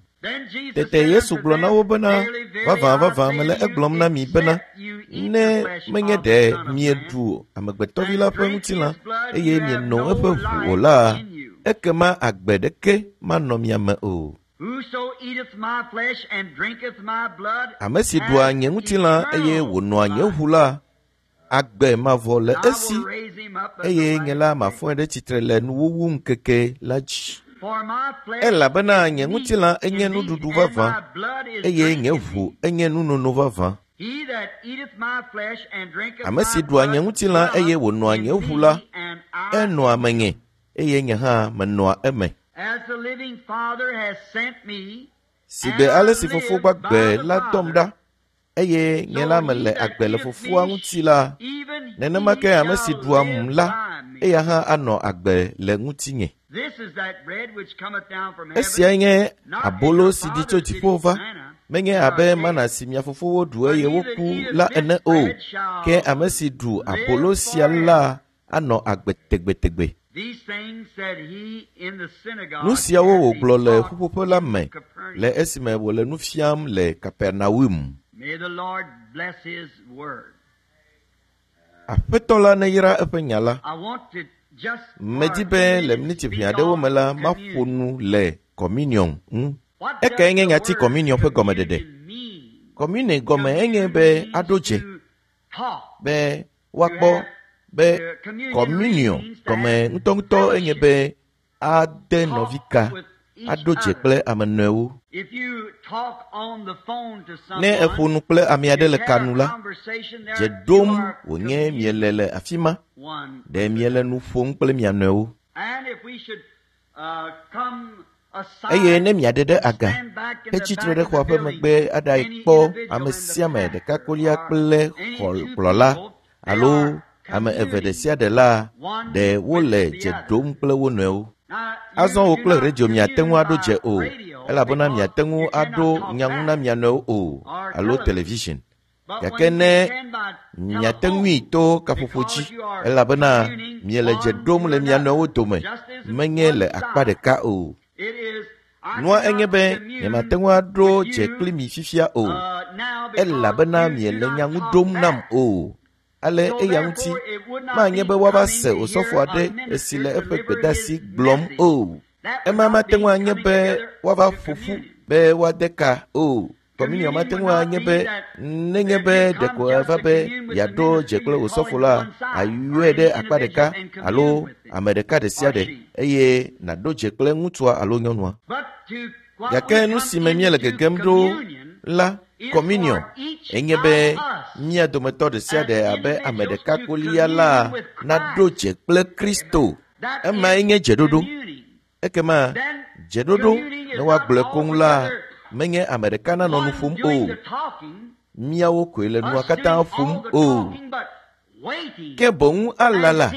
Tete Yesu gblɔ na wo bena, Vavã, vavã, mele egblɔm na mi bena, ne menye ɖe mieɖu Amegbetɔvi la ƒe ŋutilã eye mieno eƒe ʋu o la, ekema agbe ɖeke manɔ mia me o. Ame si ɖua nye ŋutilã eye wònɔa nye ʋu la, agbe mavɔ le esi, eye nye la mafɔe ɖe tsitre le nuwuwu ŋkeke la dzi. Elabena nye ŋutilã enye nuɖuɖu vavã, eye nye ʋu enye nunono vavã. Ame si ɖua nye ŋutilã eye wònɔa nye ʋu la, enɔa menye, eye nye hã menɔa eme. Sigbe ale si Fofo gbagbe la dɔm ɖa, eye nye la mele agbe le Fofoa ŋuti la, nenema ke ame si ɖuam la, eya hã anɔ agbe le ŋutinye. Esiae nye abolo si ɖi tso dziƒo va, menye abe mana si mia fofowo ɖu eye woku la ene o, ke ame si ɖu abolo sia la anɔ agbe tegbetegbe. Nu siawo wògblɔ le ƒuƒoƒe la me le esime wòle nu fiam le Kapernaum. Aƒetɔ la neyra eƒe nya la. Medi be le miniti ʋɛ aɖewo me la, maƒo nu le communion ŋu. Ekae nye nyati communion ƒe gɔmeɖeɖe? Communion gɔme enye be aɖo dze, be woakpɔ be communion gɔme ŋutɔŋutɔ enye be ade nɔvi ka, aɖo dze kple ame nɔewo. Ne èƒo nu kple ame aɖe le ka nu la, dze ɖom wònye miele le afi ma. Ɖe miele nu ƒom kple mia nɔewo. Eye ne miaɖe ɖe aga hetsi tre ɖe xɔa ƒe megbe aɖae kpɔ ame sia ame ɖeka kolia kple xɔkplɔla alo ame eve ɖe sia ɖe la, ɖe wole dze ɖom kple wo nɔewo. Azɔ wò kple radio miate ŋu aɖo dze o, elabena miate ŋu aɖo nya ŋu na mia nɔewo o, alo television. Gake ne miate ŋui to kaƒoƒo dzi, elabena miele dze ɖom le mia nɔewo dome, menye le akpa ɖeka o. Nua enye be nyemate ŋu aɖo dze kpli mi fifia o, elabena miele nya ŋu ɖom nam o. Ale eya ŋuti manye be woava se osɔfo aɖe esi le eƒe gbedeasi gblɔm o. Ema mate ŋu anye be woava ƒo ƒu be woade ka o. Communion mate ŋu anye be nenye be ɖeko eva be yeaɖo dze kple osɔfo la, ayɔe ɖe akpa ɖeka alo ame ɖeka ɖe sia ɖe eye nàɖo dze kple ŋutsua alo nyɔnua. Gake nu si me míele gegem ɖo la, communion, enye be mía dometɔ ɖe sia ɖe abe ame ɖeka kolia la naɖo dze kple Kristo. Emae nye dzeɖoɖo. Ekema dzeɖoɖo ne woagblɔe koŋ la, menye ame ɖeka nanɔ nu ƒom o. Míawo koe le nua katã ƒom o. Ke boŋ alala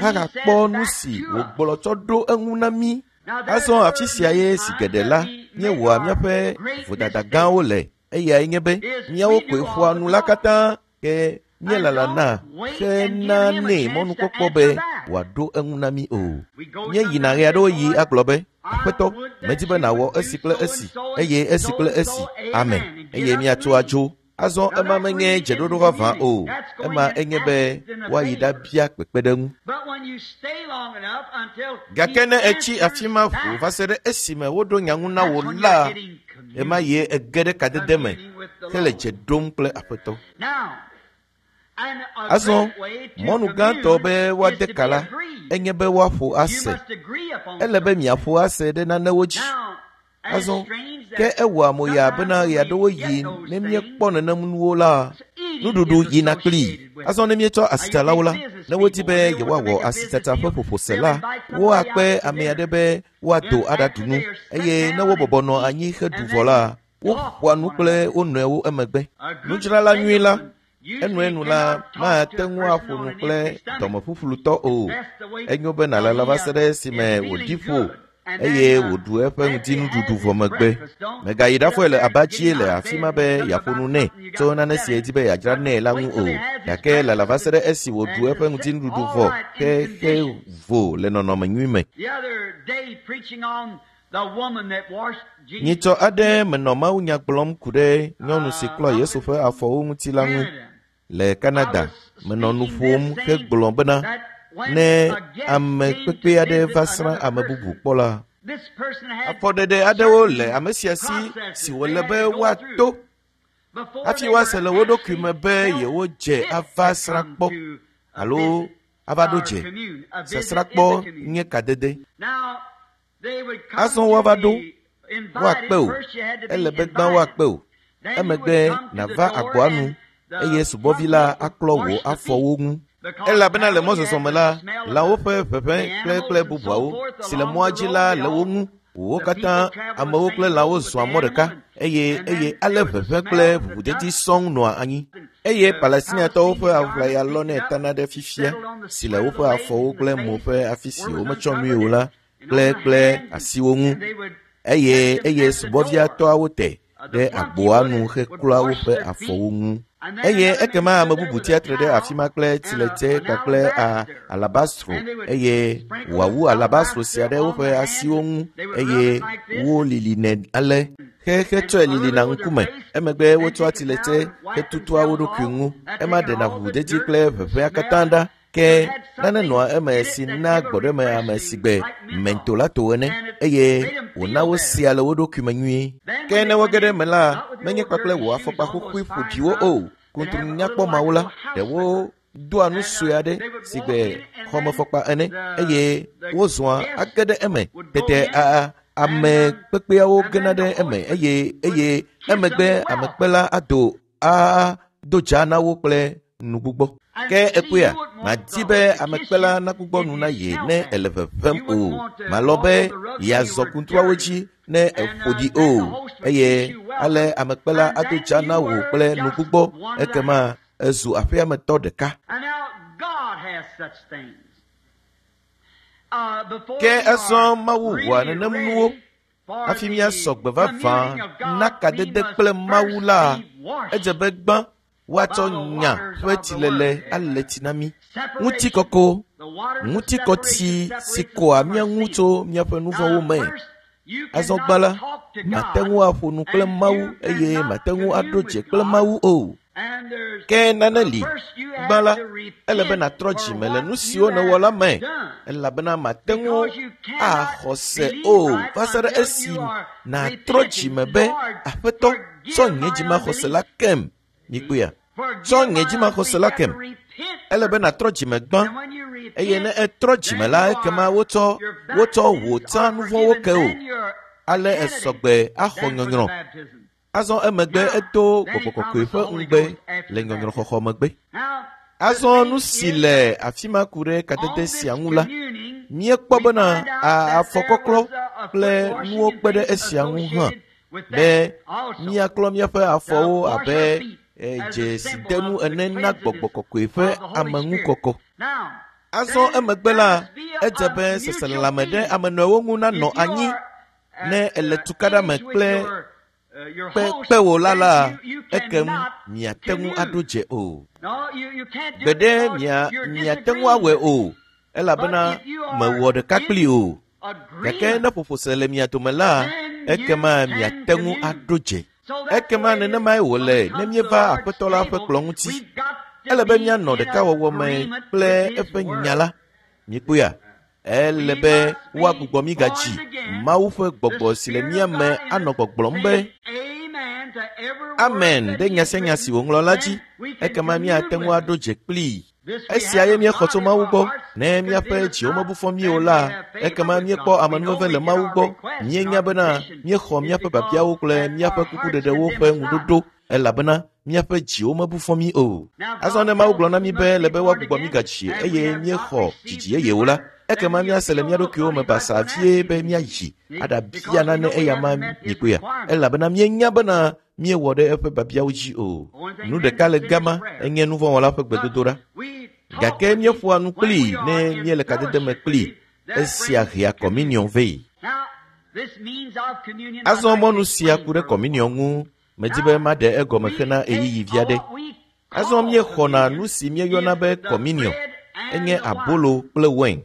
hahakpɔ nu si wògblɔ tsɔ ɖo eŋu na mí. Azɔ afi sia ye zi geɖe la, míewɔa míaƒe vodada gãwo le. Eyae nye be míawo koe ƒoa nu la katã, ke míelalana henanɛ mɔnukpɔkpɔ be wòaɖo eŋu na mí o. Míeyina ɣeaɖewoɣi agblɔ be, Aƒetɔ, medi be nàwɔ esi kple esi, eye esi kple esi. Amen. Eye míatso adzo. Azɔ ema menye dzeɖoɖo vavã o. Ema enye be woayi ɖabia kpekpeɖeŋu. Gake ne ètsi afi ma ʋuu va se ɖe esime woɖo nya ŋu na wò la, ɣemaɣie ège ɖe kadede me hele dze ɖom kple Aƒetɔ. Azɔ, mɔnu gãtɔ be woade ka la, enye be woaƒo ase. Ele be miaƒo ase ɖe nanewo dzi. Azɔ, ke ewɔa mo yaa bena ɣeaɖewoɣi ne míekpɔ nenem nuwo la, nuɖuɖu yina kplii. Azɔ ne míetsɔ asitsalawo la, ne wodi be yewoawɔ asitsatsa ƒe ƒoƒo se la, woakpe ame aɖe be woado aɖaɖu nu, eye ne wobɔbɔ nɔ anyi heɖu vɔ la, woƒoa nu kple wo nɔewo emegbe. Nudzrala nyui la, enuenu la, mate ŋu aƒo nu kple dɔmeƒuƒlutɔ o. Enyo be nàlala va se ɖe esime wòɖi ƒo eye wòɖu eƒe ŋdinuɖuɖu vɔ megbe. Mègayi ɖafɔe le aba dzie le afi ma be yeaƒo nu nɛ tso nane si yedi be yeadzra nɛ la ŋu o. Gake lala va se ɖe esi wòɖu eƒe ŋdinuɖuɖu vɔ hexe vo le nɔnɔme nyui me. Nyitsɔ aɖe menɔ mawunya gblɔm ku ɖe nyɔnu si klɔ Yesu ƒe afɔwo ŋuti la ŋu le Canada. Menɔ nu ƒom hegblɔ bena ne ame kpekpe aɖe va srã ame bubu kpɔ la, Afɔɖeɖe aɖewo le ame sia si si wòle be woato hafi woase le wo ɖokui me be yewodze ava srã kpɔ alo ava ɖo dze. Sasrãkpɔ nye kadede. Azɔ woava ɖo, woakpe wò. Ele be gbã woakpe wò. Emegbe nàva agboa nu eye subɔvi la aklɔ wò afɔwo ŋu. Elabena le mɔzɔzɔ me la, lãwo ƒe ʋeʋẽ kple bubuawo si le mɔa dzi la le wo ŋu. Wo katã amewo kple lãwo zɔa mɔ ɖeka eye ale ʋeʋẽ kple ʋuʋudedi sɔŋ nɔa anyi. Eye Palestiniatɔwo ƒe aʋlaya lɔnɛ tana ɖe fifia si le woƒe afɔwo kple mo ƒe afi si wometsɔ nui o la kple asiwo ŋu. Eye subɔvia tɔawo te ɖe agboa nu heklɔa woƒe afɔwo ŋu. Eye ekema ame bubu tsia tre ɖe afi ma kple tsiletse kpakple alabastro eye wòawu alabastro sia ɖe woƒe asiwo ŋu eye wolilinɛ ale hetsɔe lilina ŋkume. Emegbe wotsɔa tsiletse hetutua wo ɖokui ŋu. Ema ɖena ʋuʋudedi kple ʋeʋẽa katã ɖa. Ke nane nɔa eme si na gbɔɖeme ame si gbe mentolato ene eye wòna wosea le wo ɖokui me nyuie. Ke ne woge ɖe eme la, menye kpakple wò afɔkpa xoxoe ƒoɖiwo o. Kuntru nyakpɔ mawo la, ɖewo doa nu sue aɖe si gbe xɔmefɔkpa ene eye wozɔa age ɖe eme. Tete ame kpekpeawo gena ɖe eme eye emegbe amekpela ado do dza na wo kple nugbugbɔ. Ke ekpɔea, madi be amekpela nagbugbɔ nu na ye ne ele ʋeʋẽm o. Malɔ be yeazɔ kuntruawo dzi ne eƒo ɖi o. Eye ale amekpela ado dza na wò kple nugbugbɔ ekema ezu aƒeametɔ ɖeka. Ke azɔ Mawu wɔa nenem nuwo hafi míasɔ gbe vavã na kadede kple Mawu la, edze be gbã woatsɔ nya ƒe tsilele ale tsi na mí. Ŋutikɔkɔ, ŋutikɔtsi si kɔa mía ŋu tso míaƒe nu vɔ̃wo me. Azɔ gbã la, mate ŋu aƒo nu kple Mawu eye mate ŋu aɖo dze kple Mawu o. Ke nane li. Gbã la, ele be nàtrɔ dzime le nu siwo nèwɔ la me, elabena mate ŋu axɔ se o va se ɖe esi nàtrɔ dzime be, Aƒetɔ, tsɔ nye dzimaxɔse la kem. Mikpɔea? Tsɔ nye dzimaxɔse la kem. Ele be nàtrɔ dzime gbã eye ne etrɔ dzime la, ekema wotsɔ wò tsã nu vɔ̃wo ke o. Ale esɔgbe axɔ nyɔnyrɔ. Azɔ emegbe edo gbɔgbɔ kɔkɔe ƒe ŋugbe le nyɔnyrɔxɔxɔ megbe. Azɔ nu si le afi ma ku ɖe kadede sia ŋu la, míekpɔ bena afɔkɔklɔ kple nuwo kpe ɖe esia ŋu hã be míaklɔ míaƒe afɔwo abe dzesidenu ene na gbɔgbɔ kɔkɔe ƒe ameŋukɔkɔ. Azɔ emegbe la, edze be seselelãme ɖe ame nɔewo ŋu nanɔ anyi ne ele tukaɖa me kple kpewò la, ekem miate ŋu aɖo dze o. Gbeɖe miate ŋu awɔe o, elabena mewɔ ɖeka kpli o. Gake ne ƒoƒose le mia dome la, ekema miate ŋu aɖo dze. Ekema nenemae wòle ne míeva Aƒetɔ la ƒe kplɔ̃ ŋuti. Ele be míanɔ ɖekawɔwɔ me kple eƒe nya la. Mikpɔea? Ele be woagbugbɔ mí gadzi. Mawu ƒe gbɔgbɔ si le mía me anɔ gbɔgblɔm be amen ɖe nya sia nya si wòŋlɔ la dzi. Ekema míate ŋu aɖo dze kplii. Esia ye míexɔ tso Mawu gbɔ. Ne míaƒe dziwo mebu fɔ mí o la, ekema míekpɔ amenuveve le Mawu gbɔ. Míenya bena míexɔ míaƒe biabiawo kple míaƒe kukuɖeɖewo ƒe ŋuɖoɖo elabena míaƒe dziwo mebu fɔ mí o. Azɔ ne Mawu gblɔ na mí be le be woagbugbɔ mí gadzi eye míexɔ dzidzi yeyewo la, ekema míase le mía ɖokuiwo me basaa vie be míayi aɖabia nane eyama mikpɔea, elabena míenya bena míewɔ ɖe eƒe biabiawo dzi o. Nu ɖeka le gama enye nu vɔ̃wɔla ƒe gbedodoɖa. Gake míeƒoa nu kplii ne míele kadede me kplii. Esia hea kɔminiɔn vɛ. Azɔ mɔnu sia ku ɖe kɔminiɔn ŋu. Medi be maɖe egɔme hena ɣeyiɣi vi aɖe. Azɔ míexɔna nu si míeyɔna be kɔminiɔn. Enye abolo kple wain.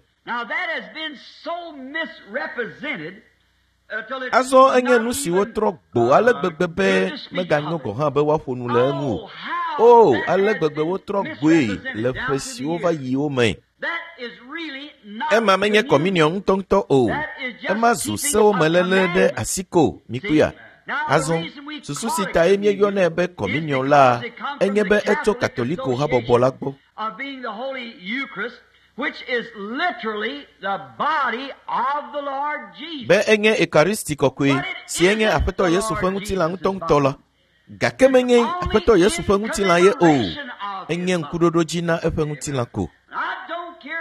Azɔ enye nu si wotrɔ gbo ale gbegbe be meganyo gɔ̃ hã be woaƒo nu le eŋu o. O, ale gbegbe wotrɔ gboe le ƒe siwo va yi wo me. Ema menye kɔminiɔ ŋutɔŋutɔ o. Ema zu sewo me léle ɖe asi ko, mikpɔea? Azɔ, susu si tae míeyɔnɛ be kɔminiɔ la enye be etso Katoliko habɔbɔ la gbɔ. Be enye Ekaristi kɔkɔe si enye Aƒetɔ Yesu ƒe ŋutilã ŋutɔŋutɔ la. Gake menye Aƒetɔ Yesu ƒe ŋutilã ye o. Enye ŋkuɖoɖodzi na eƒe ŋutilã ko.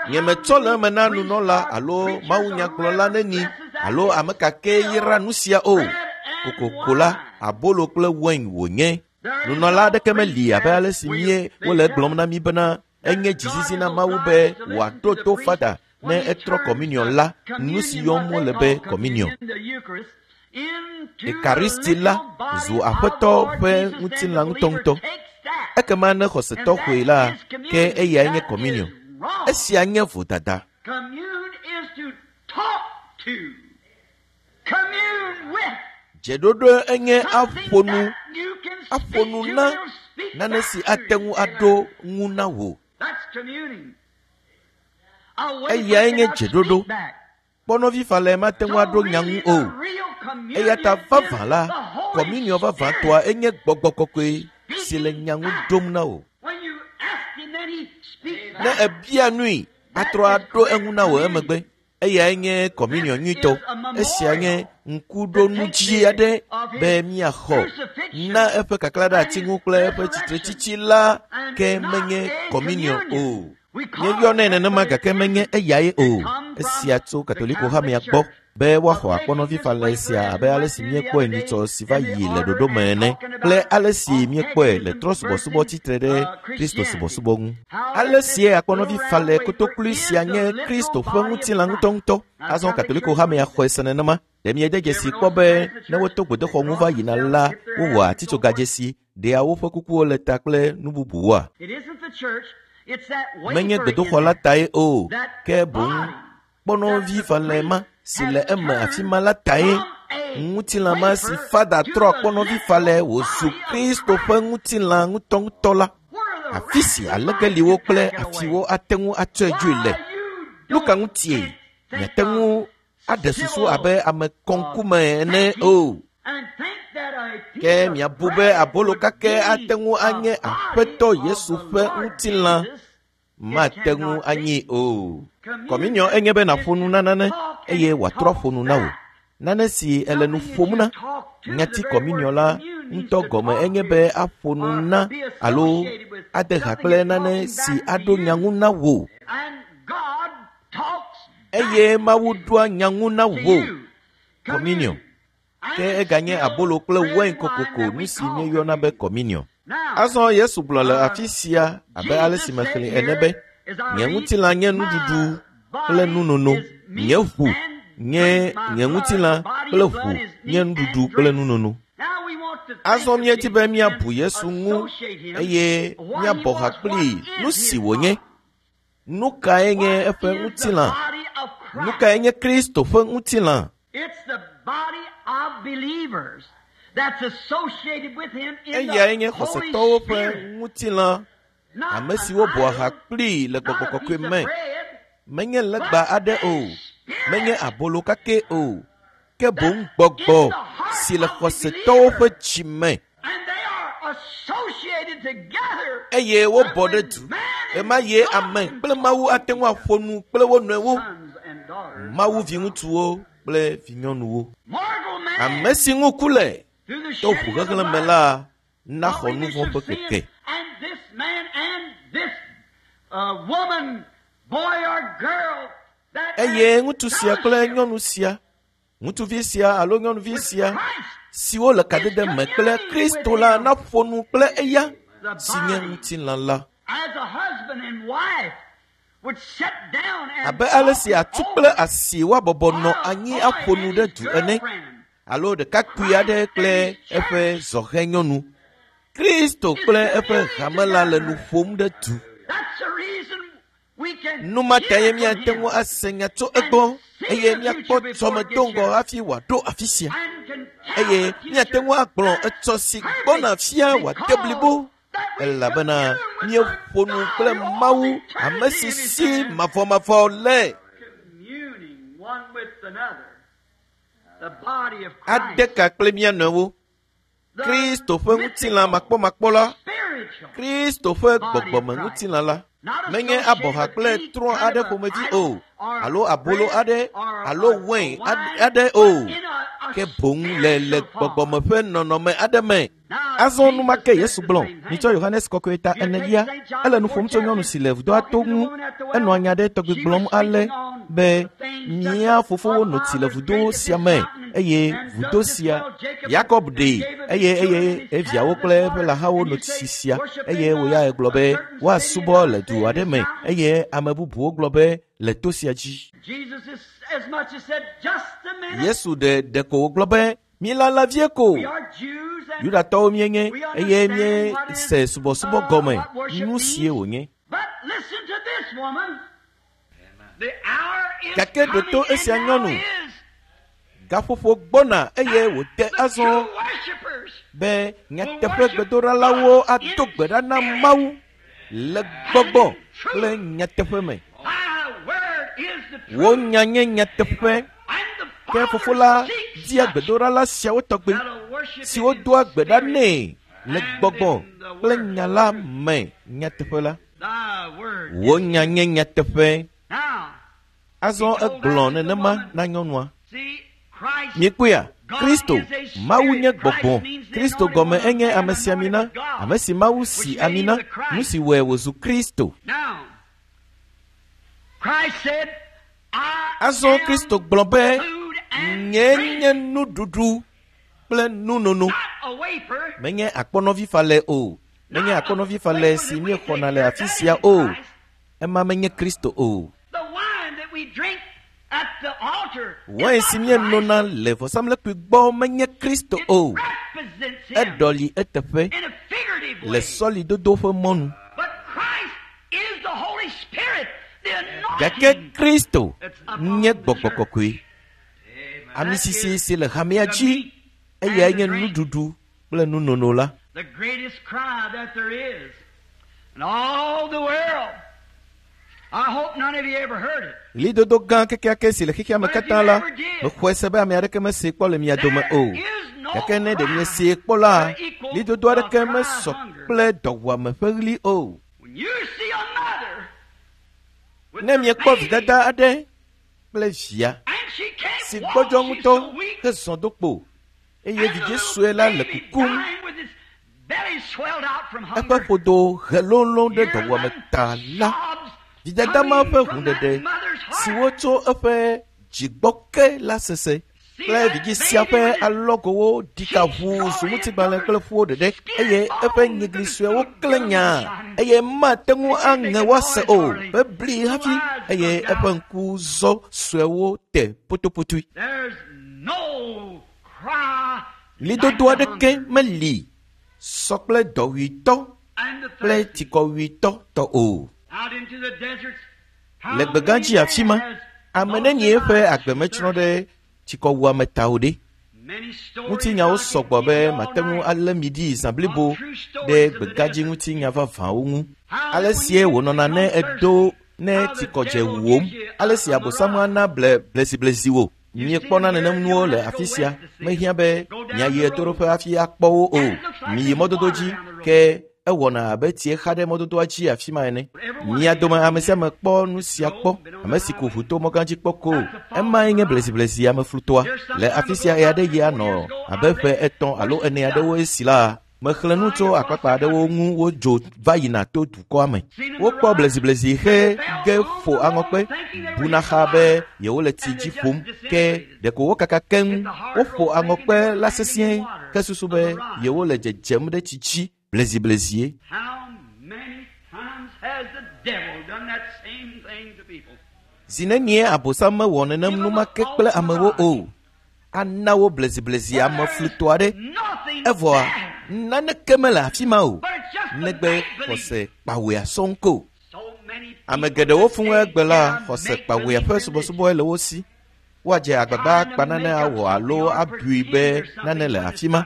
Nyemetsɔ le eme na nunɔla alo mawunyagblɔla neni alo ame ka ke yra nu sia o. Kokoko la, abolo kple wain wònye. Nunɔla aɖeke meli abe ale si mie wole egblɔm na mí bena enye dzizizi na Mawu be wòaɖo to fada ne etrɔ kɔminiɔ la, nu si yɔm wole be kɔminiɔ. Ekaristi la zu Aƒetɔ ƒe ŋutilã ŋutɔŋutɔ. Ekema ne xɔsetɔ xɔe la, ke eyae nye kɔminiɔ. Esia nye vodada. Dzeɖoɖo enye aƒo nu, aƒo nu na nane si ate ŋu aɖo ŋu na wò. Eyae nye dzeɖoɖo. Kpɔnɔvifalɛ mate ŋu aɖo nya ŋu o. Eya ta vavã la, kɔminiɔ vavãtɔa enye gbɔgbɔ kɔkɔe si le nya ŋu ɖom na wò. Ne ebia nui, atrɔ aɖo eŋu na wò emegbe. Eyae nye kɔminiɔ nyuitɔ. Esia nye ŋkuɖonudzi aɖe be míaxɔ na eƒe kaklã ɖe ati ŋu kple eƒe tsitretsitsi la ke menye kɔminiɔ o. Míeyɔnɛ nenema gake menye eyae o. Esia tso Katoliko hamea gbɔ be woaxɔ akpɔnɔvifalɛ sia abe ale si míekpɔe nyitsɔ si va yi le ɖoɖo me ene kple ale si míekpɔe le trɔ̃subɔsubɔ tsitre ɖe Kristo subɔsubɔ ŋu. Ale sie akpɔnɔvifalɛ kotoklui sia nye Kristo ƒe ŋutilã ŋutɔŋutɔ. Azɔ Katoliko hamea xɔe se nenema. Ɖe miede dzesi kpɔ be ne woto gbedoxɔ ŋu va yina la, wowɔa atitsogadzesi, ɖea woƒe kukuwo le ta kple nu bubuwoa? Menye gbedoxɔ la tae o, ke boŋ kpɔnɔvifalɛ ma si le eme afi ma la tae. Ŋutilã ma si fada trɔ kpɔnɔvifalɛ wòzu Kristo ƒe ŋutilã ŋutɔŋutɔ la. Afi si alegeliwo kple afiwo ate ŋu atsɔe dzoe le. Nu ka ŋutie miate ŋu aɖe susu abe ame kɔŋkume ene o? Ke miabu be abolo kake ate ŋu anye Aƒetɔ Yesu ƒe ŋutilã mate ŋu anyi o. Kɔminiɔ enye be nàƒo nu na nane eye wòatrɔ aƒo nu na wò. Nane si ele nu ƒom na. Nyati kɔminiɔ la ŋutɔ gɔme enye be aƒo nu na alo ade ha kple nane si aɖo nya ŋu na wò. Eye Mawu ɖoa nya ŋu na wò. Kɔminiɔ. Ke eganye abolo kple wain kokoko nu si míeyɔna be kɔminiɔ. Azɔ Yesu gblɔ le afi sia abe ale si mexlẽe ene be, nye ŋutilã nye nuɖuɖu kple nunono, nye ʋu nye nye ŋutilã kple ʋu nye nuɖuɖu kple nunono. Azɔ míedi be míabu Yesu ŋu eye míabɔ ha kplii nu si wònye. Nu kae nye eƒe ŋutilã? Nu kae nye Kristo ƒe ŋutilã? Eyae nye xɔsetɔwo ƒe ŋutilã, ame siwo bɔa ha kplii le gbɔgbɔ kɔkɔe me. Menye legba aɖe o, menye abolo kake o, ke boŋ gbɔgbɔ si le xɔsetɔwo ƒe dzi me. Eye wobɔ ɖe du. Ema ye ame kple Mawu ate ŋu aƒo nu kple wo nɔewo. Mawu viŋutsuwo kple vinyɔnuwo. Ame si ŋu ku le to ʋuxexlẽ me la naxɔ nu vɔ̃ ƒe keke. Eye ŋutsu sia kple nyɔnu sia, ŋutsuvi sia alo nyɔnuvi sia siwo le kadede me kple Kristo la naƒo nu kple eya si nye ŋutilã la. Abe ale si atu kple asi woabɔbɔ nɔ anyi aƒo nu ɖe du ene, alo ɖekakpui aɖe kple eƒe zɔhɛ nyɔnu. Kristo kple eƒe hame la le nu ƒom ɖe du. Nu ma tae míate ŋu ase nya tso egbɔ eye míakpɔ dzɔme do ŋgɔ hafi wòaɖo afi sia. Eye míate ŋu agblɔ etsɔ si gbɔna fia wòade blibo. Elabena míeƒo nu kple Mawu, ame si si mavɔmavɔ le. Ade ka kple mía nɔewo. Kristo ƒe ŋutilã makpɔmakpɔ la, Kristo ƒe gbɔgbɔme ŋutilã la, menye abɔha kple trɔ̃ aɖe ƒomevi o, alo abolo aɖe, alo wein aɖe o, ke boŋ le gbɔgbɔme ƒe nɔnɔme aɖe me. Azɔ enumake Yesu gblɔ, mitsɔ Yohanes kɔkɔe ta enelia, ele nu ƒom tso nyɔnu si le vudoa to ŋu, enɔ nya ɖe tɔgbi gblɔm ale be mía fofowo no tsi le vudo sia me, eye vudo sia Yakob ɖee, eye eviawo kple eƒe lãhawo no tsi sia, eye wòya egblɔ be woasubɔ le du aɖe me, eye ame bubuwo gblɔ be le to sia dzi. Yesu ɖeko wògblɔ be míelala vie ko. Yudatɔwo míenye, eye míese subɔsubɔ gɔme, nu sie wònye. Gake ɖo to esia nyɔnu. Gaƒoƒo gbɔna eye wòde azɔ be nyateƒe gbedoɖalawo ado gbe ɖa na Mawu le gbɔgbɔ kple nyateƒe me. Wo nya nye nyateƒe. Ke fofo la dia gbedoɖala siawo tɔgbe siwo doa gbe ɖa nɛ le gbɔgbɔ kple nya la me nyateƒe la. Wo nya nye nyateƒe. Azɔ egblɔ nenema na nyɔnua. Miekpɔea? Kristo, Mawu nye gbɔgbɔ. Kristo gɔme enye ame si amina, ame si Mawu si amina, nu si wɔe wòzu Kristo. Azɔ Kristo gblɔ be, nye nye nuɖuɖu kple nunono. Menye akpɔnɔvi falɛ o. Menye akpɔnɔvi falɛ si míexɔna le afi sia o. Ema menye Kristo o. Wain si míenona le vɔsamlekpui gbɔ menye Kristo o. Eɖɔli eteƒe le sɔlidodo ƒe mɔnu. Gake Kristo nye gbɔgbɔ kɔkɔe. Ami sisi si le hamea dzi, eyae nye nuɖuɖu kple nunono la. The greatest cry that there is in all the world. I hope none of you ever heard it. Ɣlidodo gã kekeake si le xexea me katã la, mexɔe se be ame aɖeke mesee kpɔ le mia dome o. Gake ne ɖe miesee kpɔ la, ɣlidodo aɖeke mesɔ kple dɔwuame ƒe ɣli o. When you see a mother with Ne her miekpɔ baby, vidada aɖe kple via and she can't si walk, gbɔdzɔ she's ŋutɔ so weak, hezɔ do kpo, eye and the vidzĩ little sue la le baby kukum, dying with his belly swelled out from eƒe hunger. ƒodo he lolõ ɖe Hear dɔwuame them ta la, sobs vidada ma coming ƒe from that hũɖeɖe mother's heart. siwo tso eƒe dzigbɔ ke la sese kple vidzĩ sia ƒe alɔgowo ɖika ʋuu zu ŋutigbalẽ kple ƒuwo ɖeɖe, eye eƒe nyigli suewo klẽ nyaa, eye mate ŋu aŋe woase o bebli hafi, eye eƒe ŋku zɔ suewo te potopotoe. There's no cry Ɣlidodo like the aɖeke hunger meli sɔ kple dɔwuitɔ and the kple thirsty. tsikɔwuitɔ tɔ o. Out into the deserts, how Le gbegãdzi many afi ma, men has ame lost nenie their ƒe lives agbe through metsrɔ̃ thirst? ɖe tsikɔwuame ta o ɖe. Many stories Ŋutinyawo I could sɔgbɔ give be you all mate ŋu night. alé mi ɖi zã blibo ɖe gbegãdzi ŋutinya vavãwo ŋu. Ale sie wònɔna ne edo ne tsikɔdze wuwòm, ale si Abosam ana ble bleziblezi wò. Miekpɔna nenem nuwo le afi sia. Mehiã be miayi ɣetoɖoƒe hafi akpɔ wo o. Miyi mɔdodo dzi ke ewɔna abe tsie xa ɖe mɔdodoa dzi afi ma ene. Mia dome ame sia ame kpɔ nu sia kpɔ. Ame si ku ʋu to mɔgã dzi kpɔ ko. Emae nye bleziblezi ameflutɔa. Le afi sia ɣe aɖe ɣi anɔ abe ƒe 3 alo 4 aɖewo esi la, mexlẽ nu tso akpakpa aɖewo ŋu wodzo va yina to dukɔa me. Wokpɔ bleziblezi he ge ƒo aŋɔkpe, buna xa be yewole tsi dzi ƒom, ke ɖeko wokaka keŋ. Woƒo aŋɔkpe la sesĩe ke susu be yewole dzedzem ɖe tsi dzi bleziblezie. How many times has the devil done that same thing to people? Zi nenie Abosam mewɔ nenem numake kple amewo o. Ana wo bleziblezi ameflutɔ aɖe. Nothing Evɔa there, naneke mele afi ma o. but it's just the Negbe make-believe. xɔse kpawɔea sɔŋ ko. So many Ame people geɖewo fũ today egbe la get a xɔse make-believe kpawɔea ƒe religion. subɔsubɔe le wo si. Woadze agbagba akpa nane awɔ alo abui be nane le afi ma.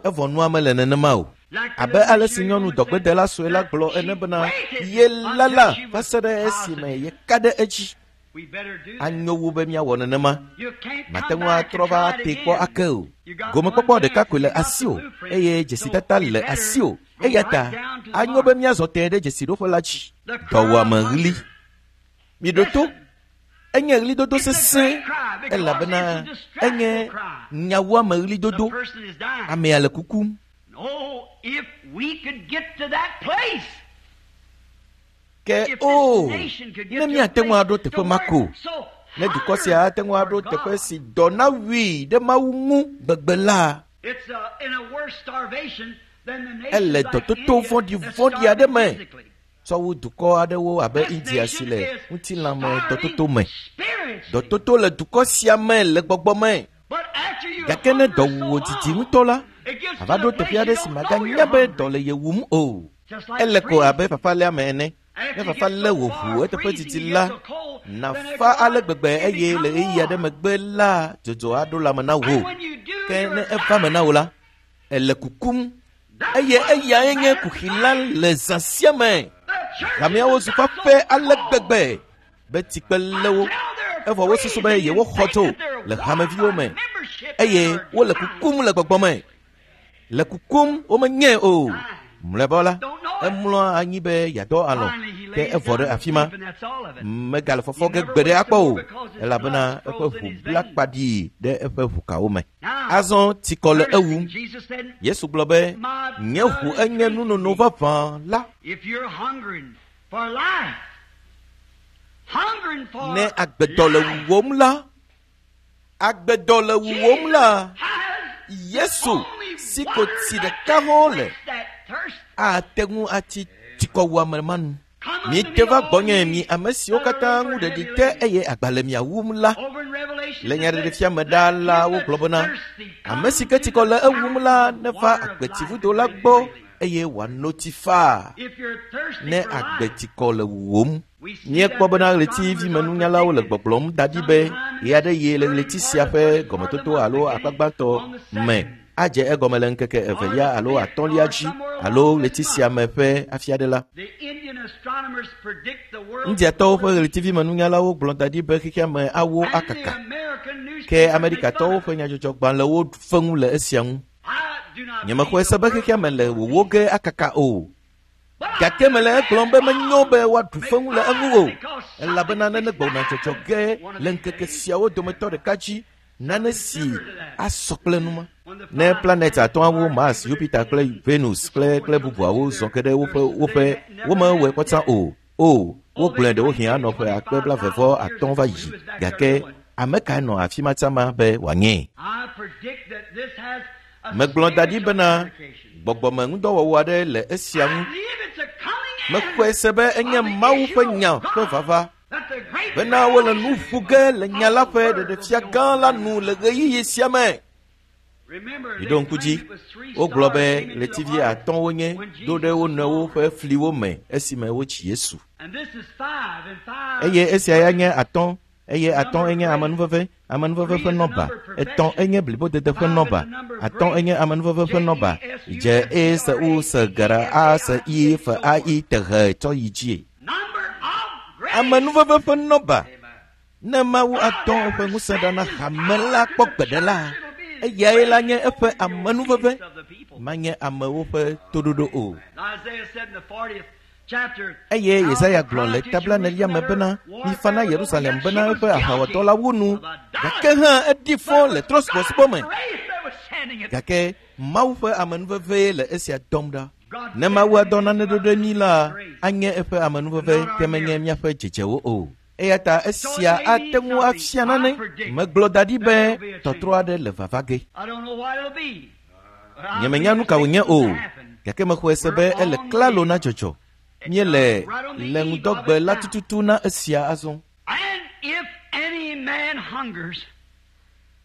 Evɔ nua mele nenema o. Abe ale si nyɔnu dɔgbedela sue la gblɔ ene bena yelala va se ɖe esime yeka ɖe edzi. Anyo wu be míawɔ nenema. Mate ŋu atrɔ va tee kpɔ ake o. Gomekpɔkpɔ ɖeka koe le asiwò eye dzesidada le asiwò. Eya ta anyo be míazɔ tẽe ɖe dzesiɖoƒe la dzi. Dɔwuame ɣli. Miɖo to. Enye ɣlidodo sesẽ elabena enye nyawuame ɣlidodo. Amea le kukum. Ke o, ne míate ŋu aɖo teƒe ma ko, ne dukɔ sia ate ŋu aɖo teƒe si dɔ nawui ɖe Mawu ŋu gbegbe la, ele dɔtoto vɔ̃ɖivɔ̃ɖi aɖe me tsɔ wu dukɔ aɖewo abe India si le ŋutilãme dɔtoto me. Dɔtoto le dukɔ sia me le gbɔgbɔ me. Gake ne dɔ wu wò didi ŋutɔ la, ava ɖo teƒe aɖe si màganya be dɔ le ye wum o. Ele ko abe fafaléame ene. Ne fafa lé wò ʋu eteƒe didi la, nàfa ale gbegbe eye le ɣeyiɣi aɖe megbe la, dzodzo aɖo lãme na wò. Ke ne eva me na wò la, ele kukum eye eyae nye kuxi la le zã sia me. Hameawo zu fafe ale gbegbe be tsikpe lé wo evɔ wosusu be yewoxɔ tso le hameviwo me eye wole kukum le gbɔgbɔ me. Le kukum womenyae o. Mlɔeba la, emlɔa anyi be yeadɔ alɔ̃ ke evɔ ɖe afi ma. Megale fɔfɔ ge gbeɖe akpɔ o elabena eƒe ʋu bla kpaɖii ɖe eƒe ʋukawo me. Azɔ tsikɔ le ewum. Yesu gblɔ be, nye ʋu enye nunono vavã la. Ne agbedɔ le wuwòm la, agbedɔ le wuwòm la, Yesu si ko tsi ɖeka hã le ate ŋu atsi tsikɔwuame ma nu. Mite va gbɔnye mi ame siwo katã ŋu ɖeɖi te eye agba le mia wum la. Le nyaɖeɖefia me ɖaa la wogblɔ bena ame si ke tsikɔ le ewum la neva agbetsivudo la gbɔ eye wòano tsi faa ne agbetsikɔ le wuwòm. Míekpɔ bena ɣletivimenunyalawo le gbɔgblɔm da ɖi be ɣe aɖe ɣi le ɣleti sia ƒe gɔmetoto alo akpa gbãtɔ me adze egɔme le ŋkeke evelia alo atɔ̃lia dzi alo ɣleti sia me ƒe afi aɖe la. Indiatɔwo ƒe ɣletivimenunyalawo gblɔ da ɖi be xexea me awo akaka. Ke Amerikatɔwo ƒe nyadzɔdzɔgbalẽwo fe ŋu le esia ŋu. Nyemexɔe se be xexea me le wòwó ge akaka o. Gake mele egblɔm be menyo be woaɖu feŋu le eŋu o elabena nane gbɔna dzɔdzɔ ge le ŋkeke siawo dometɔ ɖeka dzi nane si asɔ kple numa. Ne planet atɔ̃awo Mars, Jupiter kple Venus kple kple bubuawo zɔ ke ɖe woƒe woƒe womewɔe kpɔta o. O, wogblɔe ɖewohĩ anɔ ƒe akpe blaeve-vɔ-atɔ̃ va yi gake ame kae nɔ afi ma tsã ma be wòanyee? Megblɔ da ɖi bena gbɔgbɔme ŋudɔwɔwɔ aɖe le esia ŋu. Mexɔe se be enye Mawu ƒe nya ƒe vava bena wole nu ƒo ge le nya la ƒe ɖeɖefia gã la nu le ɣeyiɣi sia me. Miɖo ŋku dzi, wogblɔ be ɣletivi atɔ̃ wonye do ɖe wo nɔewo ƒe fliwo me esime wotsi Yesu. Eye esia ya nye atɔ̃ eye atɔ̃ enye amenuveve, amenuveve ƒe nɔba, etɔ̃ enye blibodede ƒe nɔba, atɔ̃ enye amenuveve ƒe nɔba, dze e se u se g r a se i f a i t h tsɔ yi dzie. Amenuveve ƒe nɔba. Ne Mawu atɔ eƒe ŋusẽ ɖa na hame la kpɔ gbeɖe la, eyae la nye eƒe amenuveve, manye amewo ƒe toɖoɖo o. Eye Yesaya gblɔ le tabla nelia me bena mifa na Yerusalem bena eƒe aʋawɔdɔ la wu nu, gake hã eɖi fɔ le trɔ̃subɔsubɔ me. Gake Mawu ƒe amenuvevee le esia dɔm ɖa. Ne Mawu adɔ nane ɖo ɖe mí la, anye eƒe amenuveve ke menye míaƒe dzedzewo o. Eya ta esia ate ŋu afia nane. Megblɔ da ɖi be tɔtrɔ aɖe le vava ge. Nyemenya nu ka wònye o, gake mexɔe se be ele klalo na dzɔdzɔ. Míele le ŋudɔgbe la tututu na esia azɔ.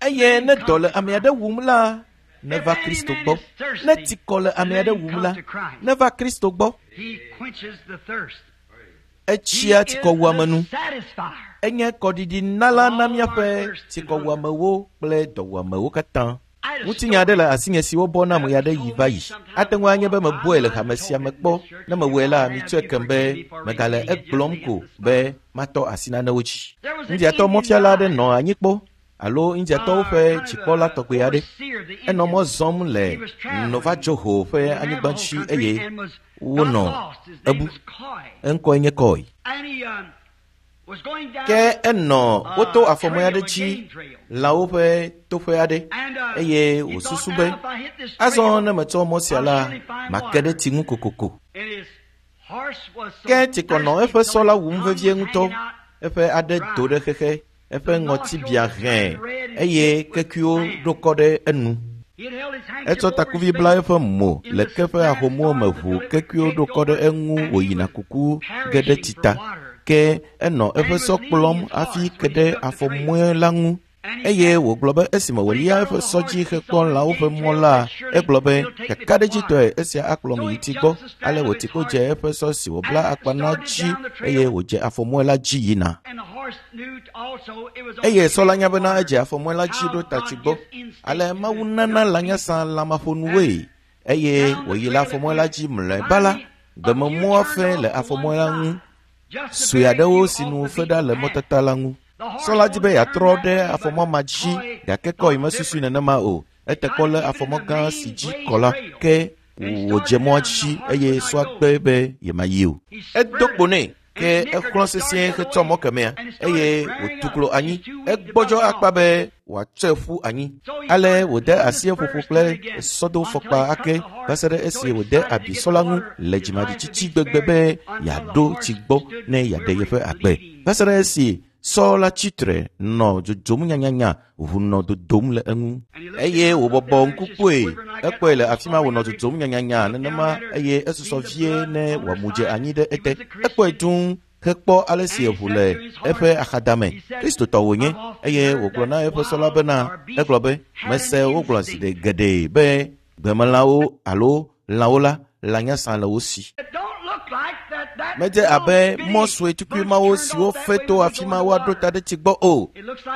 Eye ne dɔ le ame aɖe wum la, neva Kristo gbɔ. Ne tsikɔ le ame aɖe wum la, neva Kristo gbɔ. Etsia tsikɔwuame nu. Enye kɔɖiɖinala na míaƒe tsikɔwuamewo kple dɔwuamewo katã. Ŋutinya aɖe le asinye si wobɔ nam ɣe aɖe yi va yi. Ate ŋu anye be mebɔe le hame sia me kpɔ. Ne mewɔe la, mitsɔe kem be megale egblɔm ko be matɔ asi nanewo dzi. Indiatɔ mɔfiala aɖe nɔ anyi kpɔ alo Indiatɔwo ƒe dzikpɔla tɔgbe aɖe. Enɔ mɔ zɔm le Nova-Joho ƒe anyigba dzi eye wonɔ ebu. Eŋkɔe nye Kɔi. Ke enɔ woto afɔmɔe aɖe dzi lãwo ƒe toƒe aɖe eye wòsusu be azɔ ne metsɔ mɔ sia la, make ɖe tsi ŋu kokoko. Ke tsikɔ nɔ eƒe sɔ la wum vevie ŋutɔ. Eƒe aɖe do ɖe xexe, eƒe ŋɔti bia hɛ̃ eye kekuiwo ɖo kɔ ɖe enu. Etsɔ takuvi bla eƒe mo le ke ƒe ahomuwo me ʋu kekuiwo ɖo kɔ ɖe eŋu wòyina kuku ge ɖe tsi ta. Ke enɔ eƒe sɔ kplɔm hafi ke ɖe afɔmɔe la ŋu. Eye wògblɔ be esime wòlia eƒe sɔ dzi hekpɔ lãwo ƒe mɔ la, egblɔ be, kakaɖedzitɔe esia akplɔm yi tsi gbɔ. Ale wòti kpo dze eƒe sɔ si wòbla akpa na dzi eye wòdze afɔmɔe la dzi yina. Eye sɔ la nya bena edze afɔmɔe la dzi ɖo ta tsi gbɔ. Ale Mawu nana lãnyasa lãmaƒonuwoe eye wòyi le afɔmɔe la dzi mlɔeba la, gbememɔa fe le afɔmɔe la ŋu. Sue aɖewo si nu fe ɖa le mɔtata la ŋu. Sɔ la di be yeatrɔ ɖe afɔmɔ ma dzi gake Kɔi mesusui nenema o. Ete kpɔ lé afɔmɔ gã si dzi kɔ la ke wòdze mɔa dzi eye sɔa gbe be yemayi o. Edo kpo nɛ ke exlɔ̃ sesĩe hetsɔ mɔ kemɛa eye wòtu klo anyi. Egbɔdzɔ akpa be wòatsɔe ƒu anyi. Ale wòde asi eƒoƒo kple sɔdofɔkpa ake va se ɖe esi wòde abi sɔ la ŋu le dzimaɖitsitsi gbegbe be yeaɖo tsi gbɔ ne yeaɖe yeƒe agbe. Va se ɖe esi sɔ la tsi tre nɔ dzodzom nyanyanya ʋu nɔ dodom le eŋu. Eye wòbɔbɔ ŋku kpɔe, ekpɔe le afi ma wònɔ dzodzom nyanyanya nenema eye esusɔ vie ne wòamu dze anyi ɖe ete. Ekpɔe dũu hekpɔ ale si eʋu le eƒe axadame. Kristotɔ wònye eye wògblɔ na eƒe sɔ la bena, egblɔ be, mese wogblɔ zi geɖe be gbemelãwo alo lãwo la, lãnyasa le wo si. Medze abe mɔ sue tukui mawo siwo fe to afi ma woaɖo ta ɖe tsi gbɔ o.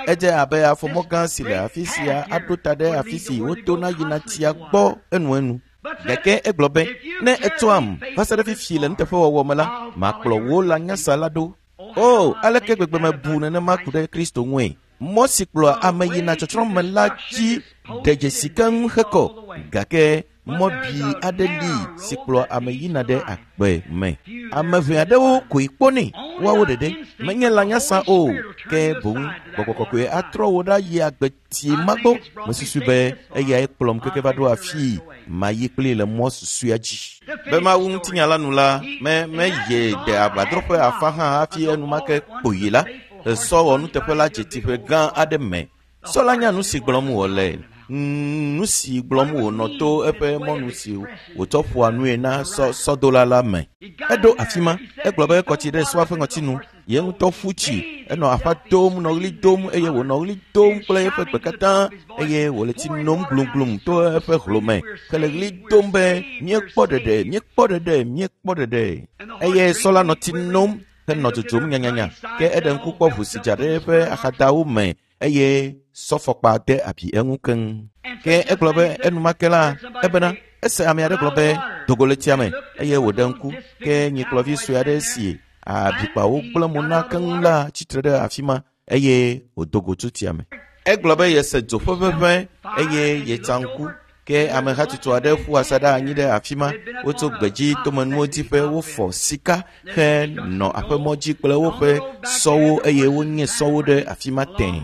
Edze abe afɔmɔ gã si le afi sia aɖo ta ɖe afi si wotona yina tsia gbɔ enuenu. Gake egblɔ be, ne ètsɔam va se ɖe fifi le nuteƒewɔwɔ me la, makplɔ wò lãnyasa la ɖo. O, aleke gbegbe mebu nenema ku ɖe Kristo ŋue! Mɔ si kplɔa ame yina tsɔtsrɔ̃ me la dzi ɖe dzesi keŋ hekɔ, gake mɔ bi aɖe li si kplɔa ame yina ɖe agbe me. Ame ʋɛ aɖewo koe kpɔnɛ, woawo ɖeɖe menye lãnyasa o, ke boŋ gbɔgbɔ kɔkɔe atrɔ wo ɖa yi agbe tsi ma gbɔ. Mesusu be eyae kplɔm keke va ɖo afii mayi kplii le mɔ susɔea dzi. Be mawu ŋutinya la nu la, me meye de agbadrɔƒe afa hã hafi enumake kpoyi la, esɔ wɔ nuteƒe la dze tsiƒe gã aɖe me. Sɔ la nya nu si gblɔm wòle, nu si gblɔm wònɔ to eƒe mɔnu si wòtsɔ ƒoa nue na sɔ sɔdola la me. Eɖo afi ma, egblɔ be ekɔ tsi ɖe sɔa ƒe ŋɔtinu, ye ŋutɔ ƒu tsi, enɔ aƒa dom, nɔ ɣli dom eye wònɔ ɣli dom kple eƒe gbe katã eye wòle tsi nom glumglum to eƒe hlome hele ɣli dom be míekpɔ ɖeɖe, míekpɔ ɖeɖe, míekpɔ ɖeɖe. Eye sɔ la nɔ tsi nom henɔ dzodzom nyanyanya ke eɖe ŋku kpɔ ʋu si dza ɖe eƒe axadawo me eye sɔfɔkpa de abi eŋu keŋ. Ke egblɔ be enumake la, ebena ese ame aɖe gblɔ be dogo le tsia me eye wòɖe ŋku ke nyikplɔvi sue aɖe si abikpawo gblẽ mo na keŋ la tsitre ɖe afi ma eye wòdo go tso tsia me. Egblɔ be yese dzo ƒe ʋeʋẽ eye yetsa ŋku ke amehatsotso aɖe ƒu asaɖa anyi ɖe afi ma. Wotso gbedzi tomenuwo diƒe, wofɔ sika henɔ aƒemɔ dzi kple woƒe sɔwo eye wonye sɔwo ɖe afi ma tẽe.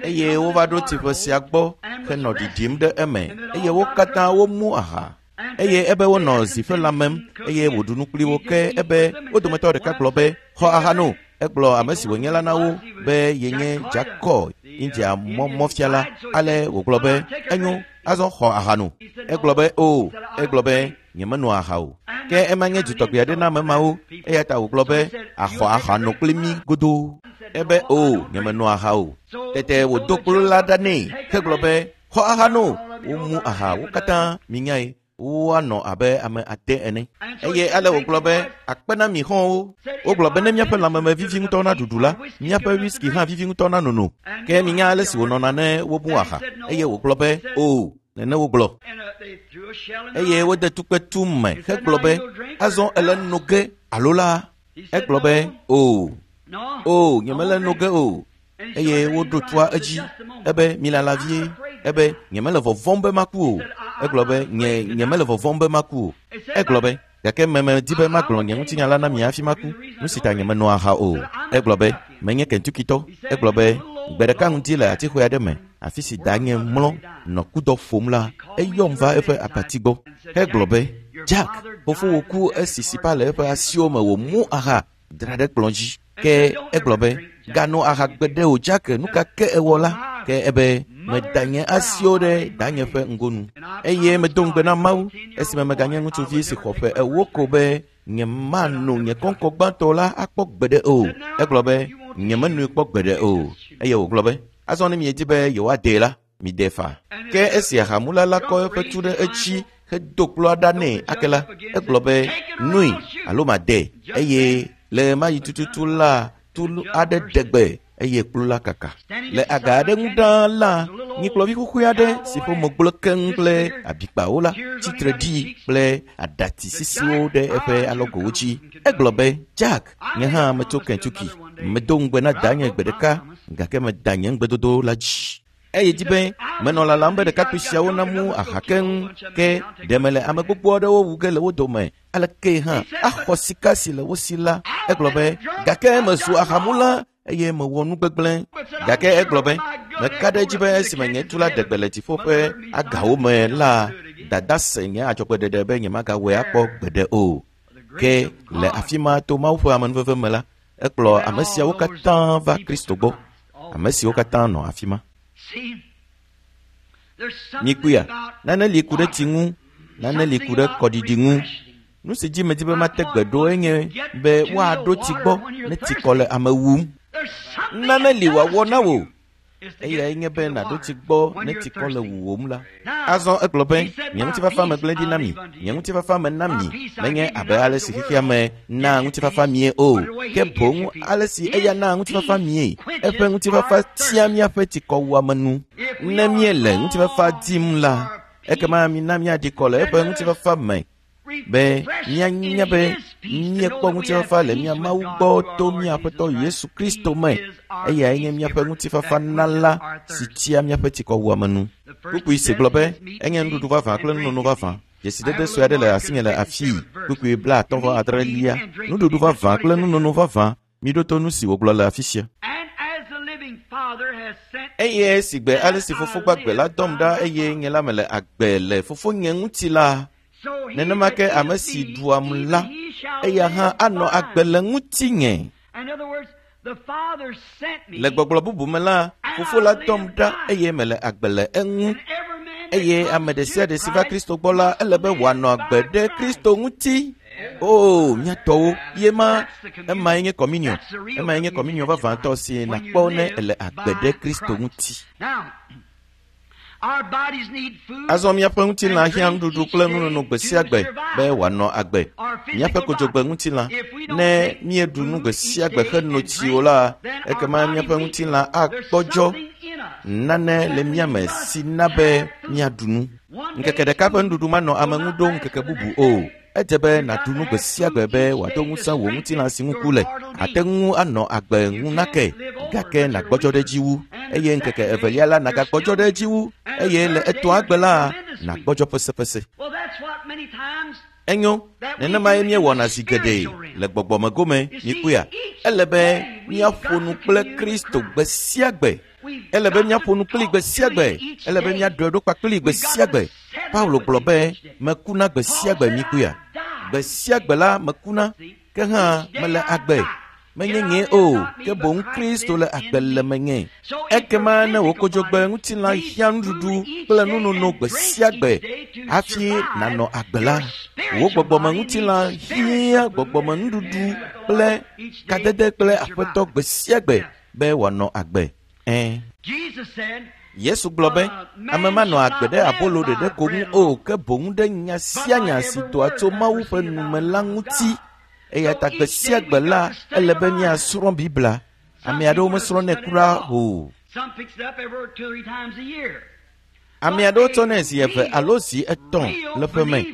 Eye wova ɖo tsiƒe sia gbɔ henɔ ɖiɖim ɖe eme eye wo katã womu aha. Eye ebe wonɔ zi ƒe lãmem eye wòɖu nu kpli wo ke ebe wo dometɔ ɖeka gblɔ be, xɔ aha no. Egblɔ ame si wònye la na wo be yenye Jacob, India mɔfiala. Ale wògblɔ be, enyo, azɔ xɔ aha no. Egblɔ be, o, egblɔ be, nyemenoa aha o. Ke ema nye dutɔgbe aɖe na ame mawo, eya ta wògblɔ be, axɔ aha no kpli mí godoo. Ebe, o, nyemenoa aha o. Tete wòdo kplu la ɖa nɛ hegblɔ be, xɔ aha no. Womu aha wo katã, minyae. Woanɔ abe ame 9 ene. Eye ale wògblɔ be, akpe na mi xɔ̃wo. Wogblɔ be ne míaƒe lãmeme vivi ŋutɔ na ɖuɖu la, míaƒe whisky hã vivi ŋutɔ na nono. Ke minya ale si wònɔna ne womu aha. Eye wògblɔ be, o, nene wogblɔ. Eye wode tukpe tu me hegblɔ be, azɔ ele no ge alo la? Egblɔ be, o, o, nyemele no ge o. Eye woɖo tua edzi ebe milala vie. Ebe nyemele vɔvɔ̃m be maku o. Egblɔ be nyemele vɔvɔ̃m be maku o. Egblɔ be gake medi be magblɔ nye ŋutinya la na mi hafi maku. Nu si ta nyemenɔ aha o. Egblɔ be menye Kentuckitɔ. Egblɔ be gbe ɖeka ŋdi le atixɔe aɖe me, afi si danye mlɔ nɔ kudɔ ƒom la, eyɔm va eƒe abati gbɔ hegblɔ be, Jack, fofowò ku esi sipa le eƒe asiwo me wòmu aha dra ɖe kplɔ̃ dzi. Ke egblɔ be, gano aha gbeɖe o Jack, nu ka ke ewɔ la? Ke ebe, meda nye asiwo ɖe danye ƒe ŋgonu. Eye medo ŋugbe na Mawu, esime meganye ŋutsuvi si xɔ ƒe 40 ko be, nyemano nye kɔŋkɔ gbãtɔ la akpɔ gbeɖe o. Egblɔ be, nyemenoe kpɔ gbeɖe o. Eye wògblɔ be, azɔ ne miedi be yewoadee la, mide fa. Ke esi ahamula la kɔ eƒe tu ɖe edzi hedo kplɔa ɖa nɛ ake la, egblɔ be, noe alo made. Eye le ɣemaɣi tututu la, tu aɖe ɖe gbe eye kplu la kaka. Le aga aɖe ŋu ɖaa la, nyikplɔvi xoxoe aɖe si ƒe mo gblẽ keŋ kple abikpawo la tsitre ɖi kple aɖati sisiwo ɖe eƒe alɔgowo dzi. Egblɔ be, Jack, nye hã metso Kentucky. Medo ŋugbe na danye gbe ɖeka, gake meda nye ŋugbedodo la dzi. Eye dzi be menɔ lalam be ɖekakpui siawo namu aha keŋ, ke ɖe mele ame gbogbo aɖewo wu ge le wo dome. Aleke hã axɔ sika si le wo si la? Egblɔ be, gake mezu ahamula eye mewɔ nu gbegblẽ. Gake egblɔ be, meka ɖe edzi be esime nye tu la ɖe gbe le dziƒo ƒe agawo me la, dada se nye adzɔgbeɖeɖe be nyemagawɔe akpɔ gbeɖe o. Ke le afi ma to Mawu ƒe amenuveve me la, ekplɔ ame siawo katã va Kristo gbɔ. Ame siwo katã nɔ afi ma. Mikpɔea, nane li ku ɖe tsi ŋu, nane li ku ɖe kɔɖiɖi ŋu. Nu si dzi medi be mate gbe ɖo enye be woaɖo tsi gbɔ ne tsi kɔ le ame wum. Nane li wòawɔ na wò. Eyae nye be nàɖo tsi gbɔ ne tsi kɔ le wuwòm la. Azɔ egblɔ be, nye ŋutifafa megblẽ ɖi na mi, nye ŋutifafa mena mi, menye abe ale si xexea me naa ŋutifafa mie o, ke boŋ ale si eya naa ŋutifafa mie. Eƒe ŋutifafa tia míaƒe tsikɔwuame nu. Ne míele ŋutifafa dim la, ekema mina míaɖi kɔ le eƒe ŋutifafa me, be míanya be míekpɔ ŋutifafa le mía Mawu gbɔ to mía Aƒetɔ Yesu Kristo me. Eyae nye míaƒe ŋutifafa nala si tia míaƒe tsikɔwuame nu. Kpukpui si gblɔ be enye nuɖuɖu vavã kple nunono vavã. Dzesidede sue aɖe le asinye le afii. Kpukpui 38. Nuɖuɖu vavã kple nunono vavã. Miɖo to nu si wògblɔ le afi sia. Eye si gbe ale si fofo gbagbe la dɔm ɖa eye nye la mele agbe le fofonye ŋuti la, nenema ke ame si ɖuam la, eya hã anɔ agbe le ŋutinye. Le gbɔgblɔ bubu me la, fofo la dɔm ɖa eye mele agbe le eŋu. Eye ame ɖe sia ɖe si va Kristo gbɔ la, ele be wòanɔ agbe ɖe Kristo ŋuti. O, mía tɔwo, ye ma, emae nye communion. Emae nye communion vavãtɔ si nàkpɔ ne ele agbe ɖe Kristo ŋuti. Azɔ míaƒe ŋutilã hiã nuɖuɖu kple nunono gbe sia gbe be wòanɔ agbe. Míaƒe kodzogbe ŋutilã, ne míeɖu nu gbe sia gbe heno tsi o la, ekema míaƒe ŋutilã agbɔdzɔ. Nane le mía me si na be míaɖu nu. Ŋkeke ɖeka ƒe nuɖuɖu manɔ ame ŋu ɖo ŋkeke bubu o. Edze be nàɖu nu gbe sia gbe be wòado ŋusẽ wò ŋutilã si ŋu ku le. Àte ŋu anɔ agbe ŋu nake, gake nàgbɔdzɔ ɖe edzi wu. Eye ŋkeke evelia la nàgagbɔdzɔ ɖe edzi wu. Eye le etɔ̃a gbe la, nàgbɔdzɔ pesepese. Enyo, nenemae míewɔna zi geɖe le gbɔgbɔme gome, mikpɔea. Ele be míaƒo nu kple Kristo gbe sia gbe. Ele be míaƒo nu kpli gbe sia gbe. Ele be míaɖɔe ɖo kpakpli gbe sia gbe. Paulo gblɔ be, mekuna gbe sia gbe, mikpɔea. Gbe sia gbe la mekuna, ke hã mele agbe. Menye nye o, ke boŋ Kristo le agbe le menye. Ekema ne wò kodzogbe ŋutilã hiã nuɖuɖu kple nunono gbe sia gbe hafi nànɔ agbe la, wò gbɔgbɔme ŋutilã hiã gbɔgbɔme nuɖuɖu kple kadede kple Aƒetɔ gbe sia gbe be wòanɔ agbe. Yesu gblɔ be, ame manɔ agbe ɖe abolo ɖeɖe ko ŋu o, ke boŋ ɖe nya sia nya si doa tso Mawu ƒe nu me la ŋuti. Eya ta gbe sia gbe la, ele be míasrɔ̃ Biblia. Ame aɖewo mesrɔ̃nɛ kura o. Ame aɖewo tsɔnɛ zi 2 alo zi 3 le ƒe me.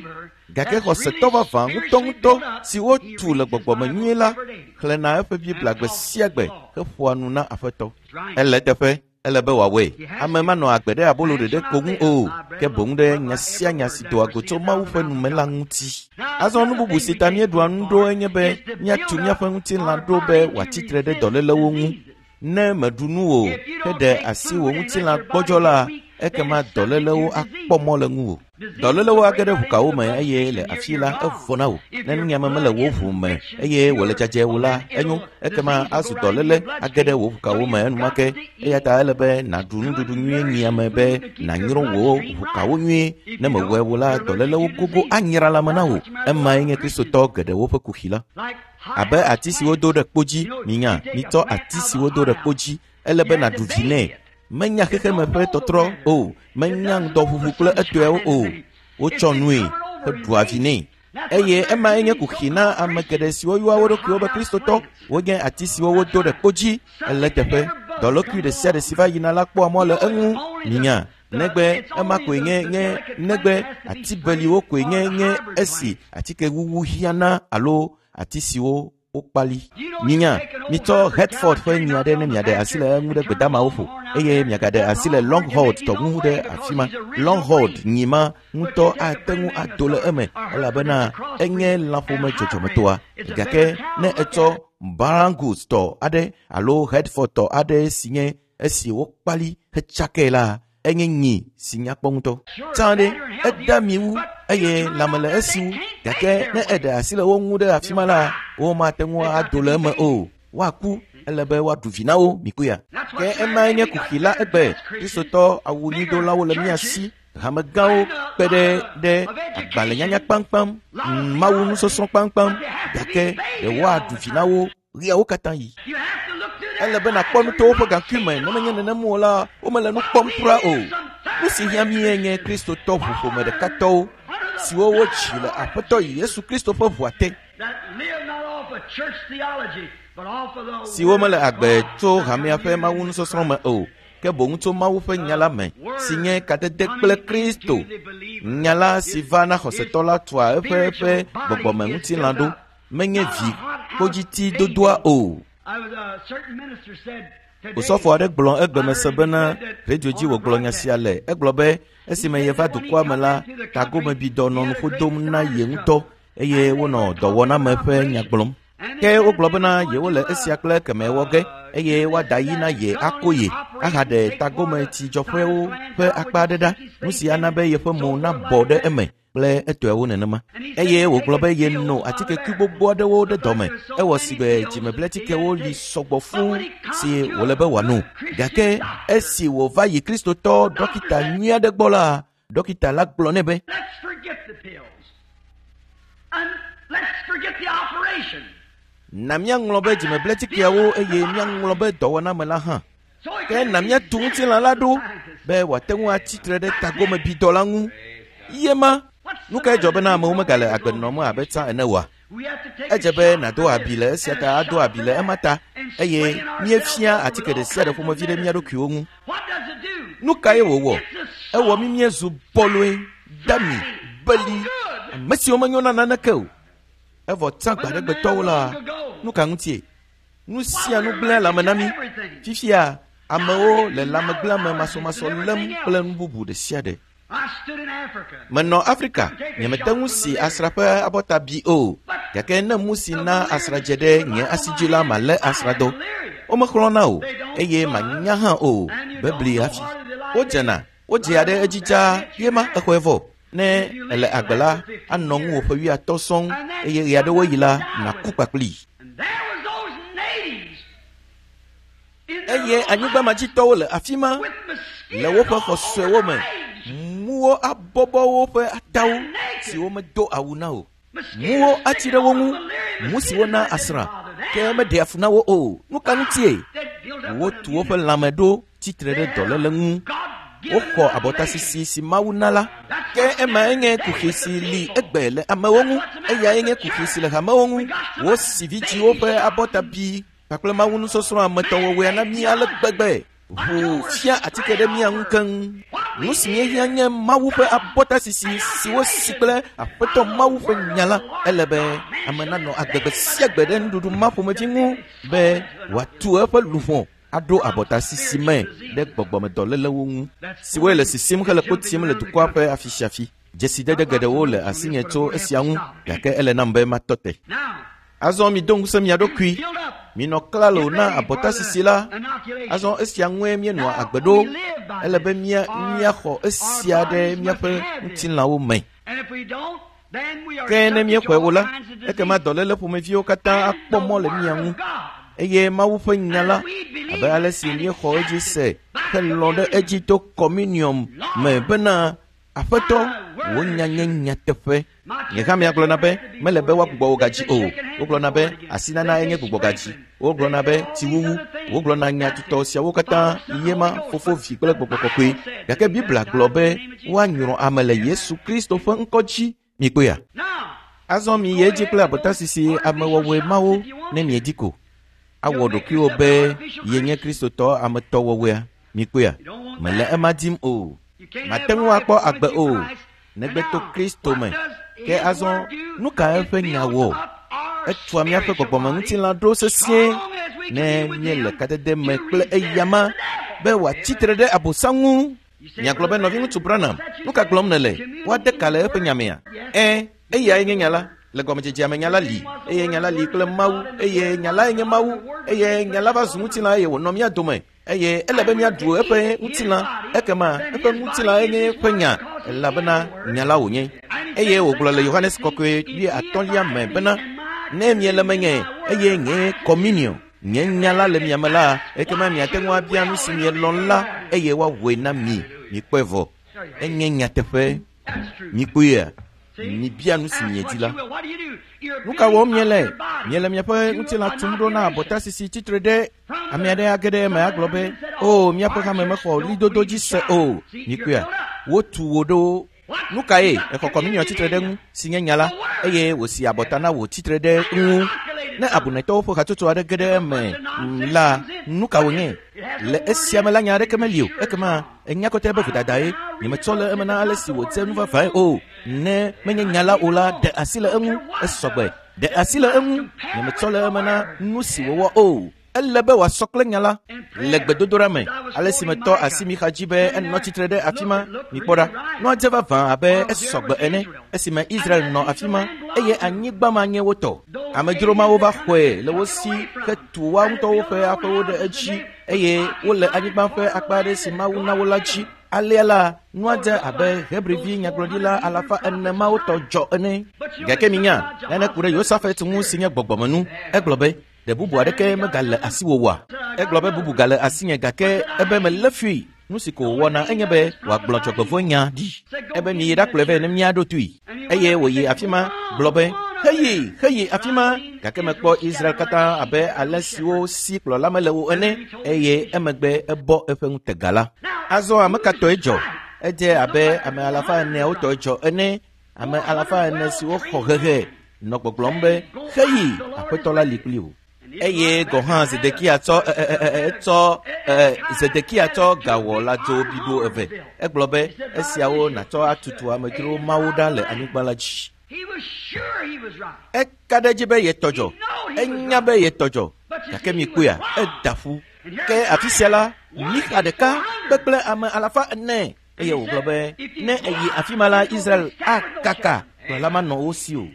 Gake xɔsetɔ vavã ŋutɔŋutɔ si wotu le gbɔgbɔme nyuie la xlẽna eƒe Biblia gbe sia gbe heƒoa nu na Aƒetɔ. Ele eteƒe, ele be wòawɔe. Ame manɔ agbe ɖe abolo ɖeɖe ko ŋu o, ke boŋ ɖe nya sia nya si doa go tso Mawu ƒe nu me la ŋuti. Azɔ nu bubu si ta míeɖua nu ɖo enye be míatu míaƒe ŋutilã ɖo be wòatsi tre ɖe dɔlélewo ŋu. Ne mèɖu nu o heɖe asi wò ŋutilã gbɔdzɔ la, ekema dɔlélewo akpɔ mɔ le ŋuwò. Dɔlélewo age ɖe ʋukawo me eye le afi la evɔ na wò. Ne nunyiame mele wò ʋu me eye wòle dzadzɛ wò la, enyo, ekema azu dɔléle age ɖe wò ʋukawo me enumake. Eya ta ele be nàɖu nuɖuɖu nyuie nyiame be nànyrɔ wò ʋukawo nyuie. Ne mewɔe wò la, dɔlélewo gogo anyra lãme na wò. Emae nye Kristotɔ geɖewo ƒe kuxi la. Abe ati si wodo ɖe kpo dzi, minya, mitsɔ ati si wodo ɖe kpo dzi, ele be nàɖu vi nɛ. Menya xexeme ƒe tɔtrɔ o, menya ŋdɔʋuʋu kple etɔewo o. Wotsɔ nue heɖua vi nɛ. Eye emae nye kuxi na ame geɖe siwo yɔa wo ɖokuiwo be Kristotɔ. Wonye ati siwo wodo ɖe kpo dzi. Ele teƒe. Dɔlékui ɖe sia ɖe si va yina la kpɔa mɔ le eŋu. Minya, negbe ema koe nye nye negbe ati beliwo koe nye nye esi atike wuwu hiã alo ati siwo wokpali. Minya, mitsɔ Hertford ƒe nyi aɖe ne miaɖe asi le eŋu ɖe gbedamawo ƒo eye miagaɖe asi le Longhorn tɔ ŋu ɖe afi ma. Longhorn nyi ma ŋutɔ ate ŋu ado le eme elabena enye lãƒome dzɔdzɔmetɔa. Gake ne etsɔ Brangus tɔ aɖe alo Hertford tɔ aɖe si nye esi wokpali hetsakae la, enye nyi si nyakpɔ ŋutɔ. Tsã ɖe, eda mi wu eye lãme le esi wu, gake ne eɖe asi le wo ŋu ɖe afi ma la, womate ŋu ado le eme o. Woaku, ele be woaɖu vi na wo, mikpɔea. Ke emae nye kuxi la egbe. Kristotɔ awunyuidolawo le mía si, hamegãwo kpe ɖe ɖe agbalẽnyanya kpaŋkpaŋ, Mawu nusɔsrɔ̃ kpaŋkpaŋ, gake ɖe woaɖu vi na wo ɣeawo katã yi. Ele be nàkpɔ nu to woƒe gaŋkui me, ne menye nenem o la, womele nu kpɔm kura o. Nu si hiã mí nye Kristotɔ ʋuƒome ɖekatɔwo siwo wodzi le Aƒetɔ Yesu Kristo ƒe ʋua te, siwo mele agbe tso hamea ƒe Mawu nusɔsrɔ̃ me o, ke boŋ tso Mawu ƒe nya la me, si nye kadede kple Kristo. Nya la si va na xɔsetɔ la tua eƒe ƒe gbɔgbɔme ŋutilã ɖo, menye vi kpodziti dodoa o. Osɔfo aɖe gblɔ egbeme se bena radio dzi wògblɔ nya sia le. Egblɔ be esime yeva dukɔa me la, tagomebidɔ nɔ nuƒo dom na ye ŋutɔ eye wonɔ dɔwɔname ƒe nya gblɔm. Ke wogblɔ bena yewole esia kple kemɛ wɔ ge eye woada yi na ye ako ye ahaɖe tagometsidzɔƒewo ƒe akpa aɖe ɖa, nu si ana be yeƒe mo nabɔ ɖe eme kple etɔewo nenema. Eye wògblɔ be yeno atikekui gbogbo aɖewo ɖe dɔme. Ewɔ si be dzimebletikewo li sɔgbɔ fũu si wòle be wòano. Gake esi wòva yi Kristotɔ dɔkita nyui aɖe gbɔ la, dɔkita la gblɔ nɛ be, na míaŋlɔ be dzimebletikeawo eye míaŋlɔ be dɔwɔname la hã. Ke na míatu ŋutilã la ɖo be wòate ŋu atsi tre ɖe tagomebidɔ la ŋu. Ye ma, nu kae dzɔ bena amewo megale agbe nɔm abe tsã ene oa? Edze be nàdo abi le esia ta, ado abi le ema ta, eye míefia atike ɖe sia ɖe ƒomevi ɖe mía ɖokuiwo ŋu. Nu kae wòwɔ? Ewɔ mí míezu bɔlɔe, dami, beli, ame siwo menyo na naneke o. Evɔ tsã gbaɖegbetɔwo la, nu ka ŋutie? Nu sia nu gblẽa lãme na mí. Fifia, amewo le lãmegblẽame masɔmasɔ lém kple nu bubu ɖe sia ɖe. Menɔ Afrika, nyemete ŋu si asrã ƒe abɔta bi o, gake ne mu si na asrã dze ɖe nye asi dzi la, malé asrãdɔ. Womexlɔ̃na o, eye manya hã o, bebli hafi. Wodzena, wodzea ɖe edzi dzaa, ye ma exɔe vɔ. Ne ele agbe la, anɔ ŋuwò ƒe 50 sɔŋ, eye ɣeaɖewoɣi la, nàku kpakplii. Eye anyigbamadzitɔwo le afi ma le woƒe xɔ suewo me. Muwo abɔbɔ woƒe atawo siwo medo awu na o. Muwo atsi ɖe wo ŋu, mu siwo na asrã, ke meɖea fu na wo o. Nu ka ŋutie? Wotu woƒe lãme ɖo tsitre ɖe dɔléle ŋu. Woxɔ abɔtasisi si Mawu na la. Ke ema enye kuxi si li egbe le amewo ŋu, eyae nye kuxi si le hamewo ŋu. Wosi vidziwo ƒe abɔta bi kpakple Mawu nusɔsrɔ̃ ametɔwɔwɔea na mí ale gbegbe. Ʋu fia atike ɖe mía ŋu keŋ. Nu si míehiã nye Mawu ƒe abɔtasisi si wosi kple Aƒetɔ Mawu ƒe nya la. Ele be ame nanɔ agbe gbe sia gbe ɖe nuɖuɖu ma ƒomevi ŋu be wòatu eƒe luʋɔ aɖo abɔtasisi me ɖe gbɔgbɔmedɔlélewo ŋu, siwoe le sisim hele kpo tim le dukɔa ƒe afisiafi. Dzesidede geɖewo le asinye tso esia ŋu, gake ele nam be matɔ te. Azɔ mido ŋusẽ mia ɖokui, minɔ klalo na abɔtasisi la. Azɔ esia ŋue míenɔa agbe ɖo. Ele be mía míaxɔ esia ɖe míaƒe ŋutilãwo me. Ke ne míexɔe o la, ekema dɔléle ƒomeviwo katã akpɔ mɔ le mía ŋu. Eye Mawu ƒe nya la, abe ale si míexɔ edzi se helɔ̃ ɖe edzi to kɔminiɔm me bena Aƒetɔ, wò nya nye nyateƒe. Nye hã miagblɔna be mele be woagbugbɔ wò gadzi o. Wogblɔna be asinana enye gbugbɔgadzi. Wogblɔna be tsiwuwu. Wogblɔna nya tutɔ siawo katã ye ma Fofo, Vi kple Gbɔgbɔ Kɔkɔe. Gake Biblia gblɔ be woanyrɔ ame le Yesu Kristo ƒe ŋkɔ dzi. Mikpɔea? Azɔ miyi edzi kple abɔtasisi amewɔwɔe mawo ne miedi ko. Awɔ ɖokuiwò be yenye Kristotɔ ametɔwɔwɔea. Mikpɔea? Mele ema dim o. Mate ŋu akpɔ agbe o, negbe to Kristo me. Ke azɔ, nu ka eƒe nya wɔ? Etua míaƒe gbɔgbɔmeŋutilã ɖo sesĩe ne míele kadede me kple eyama be wòatsi tre ɖe Abosam ŋu. Miagblɔ be, Nɔviŋutsu Branham, nu ka gblɔm nèle? Woade ka le eƒe nya mea? Ẽ, eyae nye nya la. Le gɔmedzedzea me nya la li, eye nya la li kple Mawu, eye nya lae nye Mawu, eye nya la va zu ŋutilã eye wònɔ mía dome. Eye ele be míaɖu eƒe ŋutilã, ekema eƒe ŋutilã enye eƒe nya, elabena nya la wònye. Eye wògblɔ le Yohanes Kɔkɔe wuiatɔ̃lia me bena, Ne miele menye, eye nye kɔmunio, nye nya la le mia me la, ekema miate ŋu abia nu si mielɔ̃ la, eye woawɔe na mi. Mikpɔe vɔ. Enye nyateƒe. Mikpɔea? Mibia nu si miedi la. Nu ka wɔm miele? Miele miaƒe ŋutilã tum ɖo na abɔtasisi tsitre ɖe Ame aɖe age ɖe eme agblɔ be, O, míaƒe hame mexɔ ɣlidodo dzi se o. Mikpɔea? Wotu wò ɖo. Nu kae? Exɔ kɔminiɔ tsitre ɖe ŋu, si nye nya la, eye wòsi abɔta na wò tsitre ɖe ŋu. Ne abunetɔwo ƒe hatsotso aɖe ge ɖe eme la, nu ka wònye? Le esia me la, nya aɖeke meli o. Ekema enya kɔtɛ be vodadae. Nyemetsɔ le eme na ale si wòdze nu vavãe o. Ne menye nya la o la, ɖe asi le eŋu. Esɔgbe. Ɖe asi le eŋu. Nyemetsɔ le eme na nu si wòwɔ o. Ele be wòasɔ kple nya la le gbedodoɖa me. Ale si metɔ asi Mixa dzi be enɔ tsitre ɖe afi ma, mikpɔ ɖa. Nua dze vavã abe esɔ gbe ene esime Israel nɔ afi ma eye anyigba ma nye wo tɔ. Amedzro mawo va xɔe le wo si hetu woa ŋutɔwo ƒe aƒewo ɖe edzi eye wole anyigba ƒe akpa aɖe si Mawu na wo la dzi. Alea la, nua dze abe Hebrivi nyagblɔɖila 400 mawo tɔ dzɔ ene. Gake minya, nane ku ɖe Yosafat ŋu si nye gbɔgbɔmenu. Egblɔ be, Ɖe bubu aɖeke megale asiwò oa? Egblɔ be bubu gale asinye gake ebe melé fui. Nu si ko wòwɔna enye be wòagblɔ dzɔgbevɔ̃e nya ɖi. Ebe miyi ɖakplɔe vɛ ne míaɖo toe. Eye wòyi afi ma gblɔ be, Heyi, heyi afi ma! Gake mekpɔ Israel katã abe alẽ siwo si kplɔla mele o ene. Eye emegbe ebɔ eƒe ŋutega la. Azɔ ame ka tɔe dzɔ? Edze abe ame 400 tɔe dzɔ ene. Ame 400 siwo xɔ hehe nɔ gbɔgblɔm be, Heyi, Aƒetɔ la li kpli wò. Eye gɔ̃ hã Zedekia tsɔ etsɔ Zedekia tsɔ gawɔ lãdzo blibo eve. Egblɔ be, Esiawo nàtsɔ atutu amedzro mawo ɖa le anyigba la dzi. Eka ɖe edzi be yetɔ dzɔ. Enya be yetɔ dzɔ. Gake mikpɔea, eda ƒu. Ke afi sia la, Mixa ɖeka kpekple ame 400. Eye wògblɔ be, Ne èyi afi ma la, Israel akaka, kplɔla manɔ wo si o.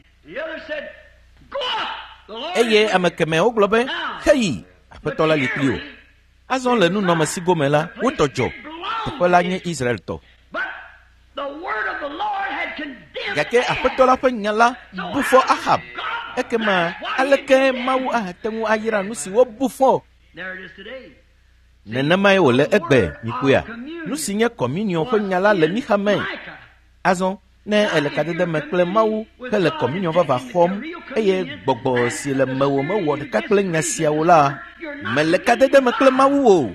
Eye ame kemɛwo gblɔ be, Heyi, Aƒetɔ la li kpli wò. Azɔ le nunɔamesi gome la, wotɔ dzɔ. Teƒe la nye Israel tɔ. Gake Aƒetɔ la ƒe nya la bu fɔ Ahab. Ekema aleke Mawu ahate ŋu ayra nu si wobu fɔ? Nenemae wòle egbe, mikpɔea? Nu si nye kɔminiɔ ƒe nya la le Mixa me. Azɔ, ne èle kadede me kple Mawu hele kɔminiɔ vava xɔm eye gbɔgbɔ si le mewò mewɔ ɖeka kple nya siawo la, mèle kadede me kple Mawu o.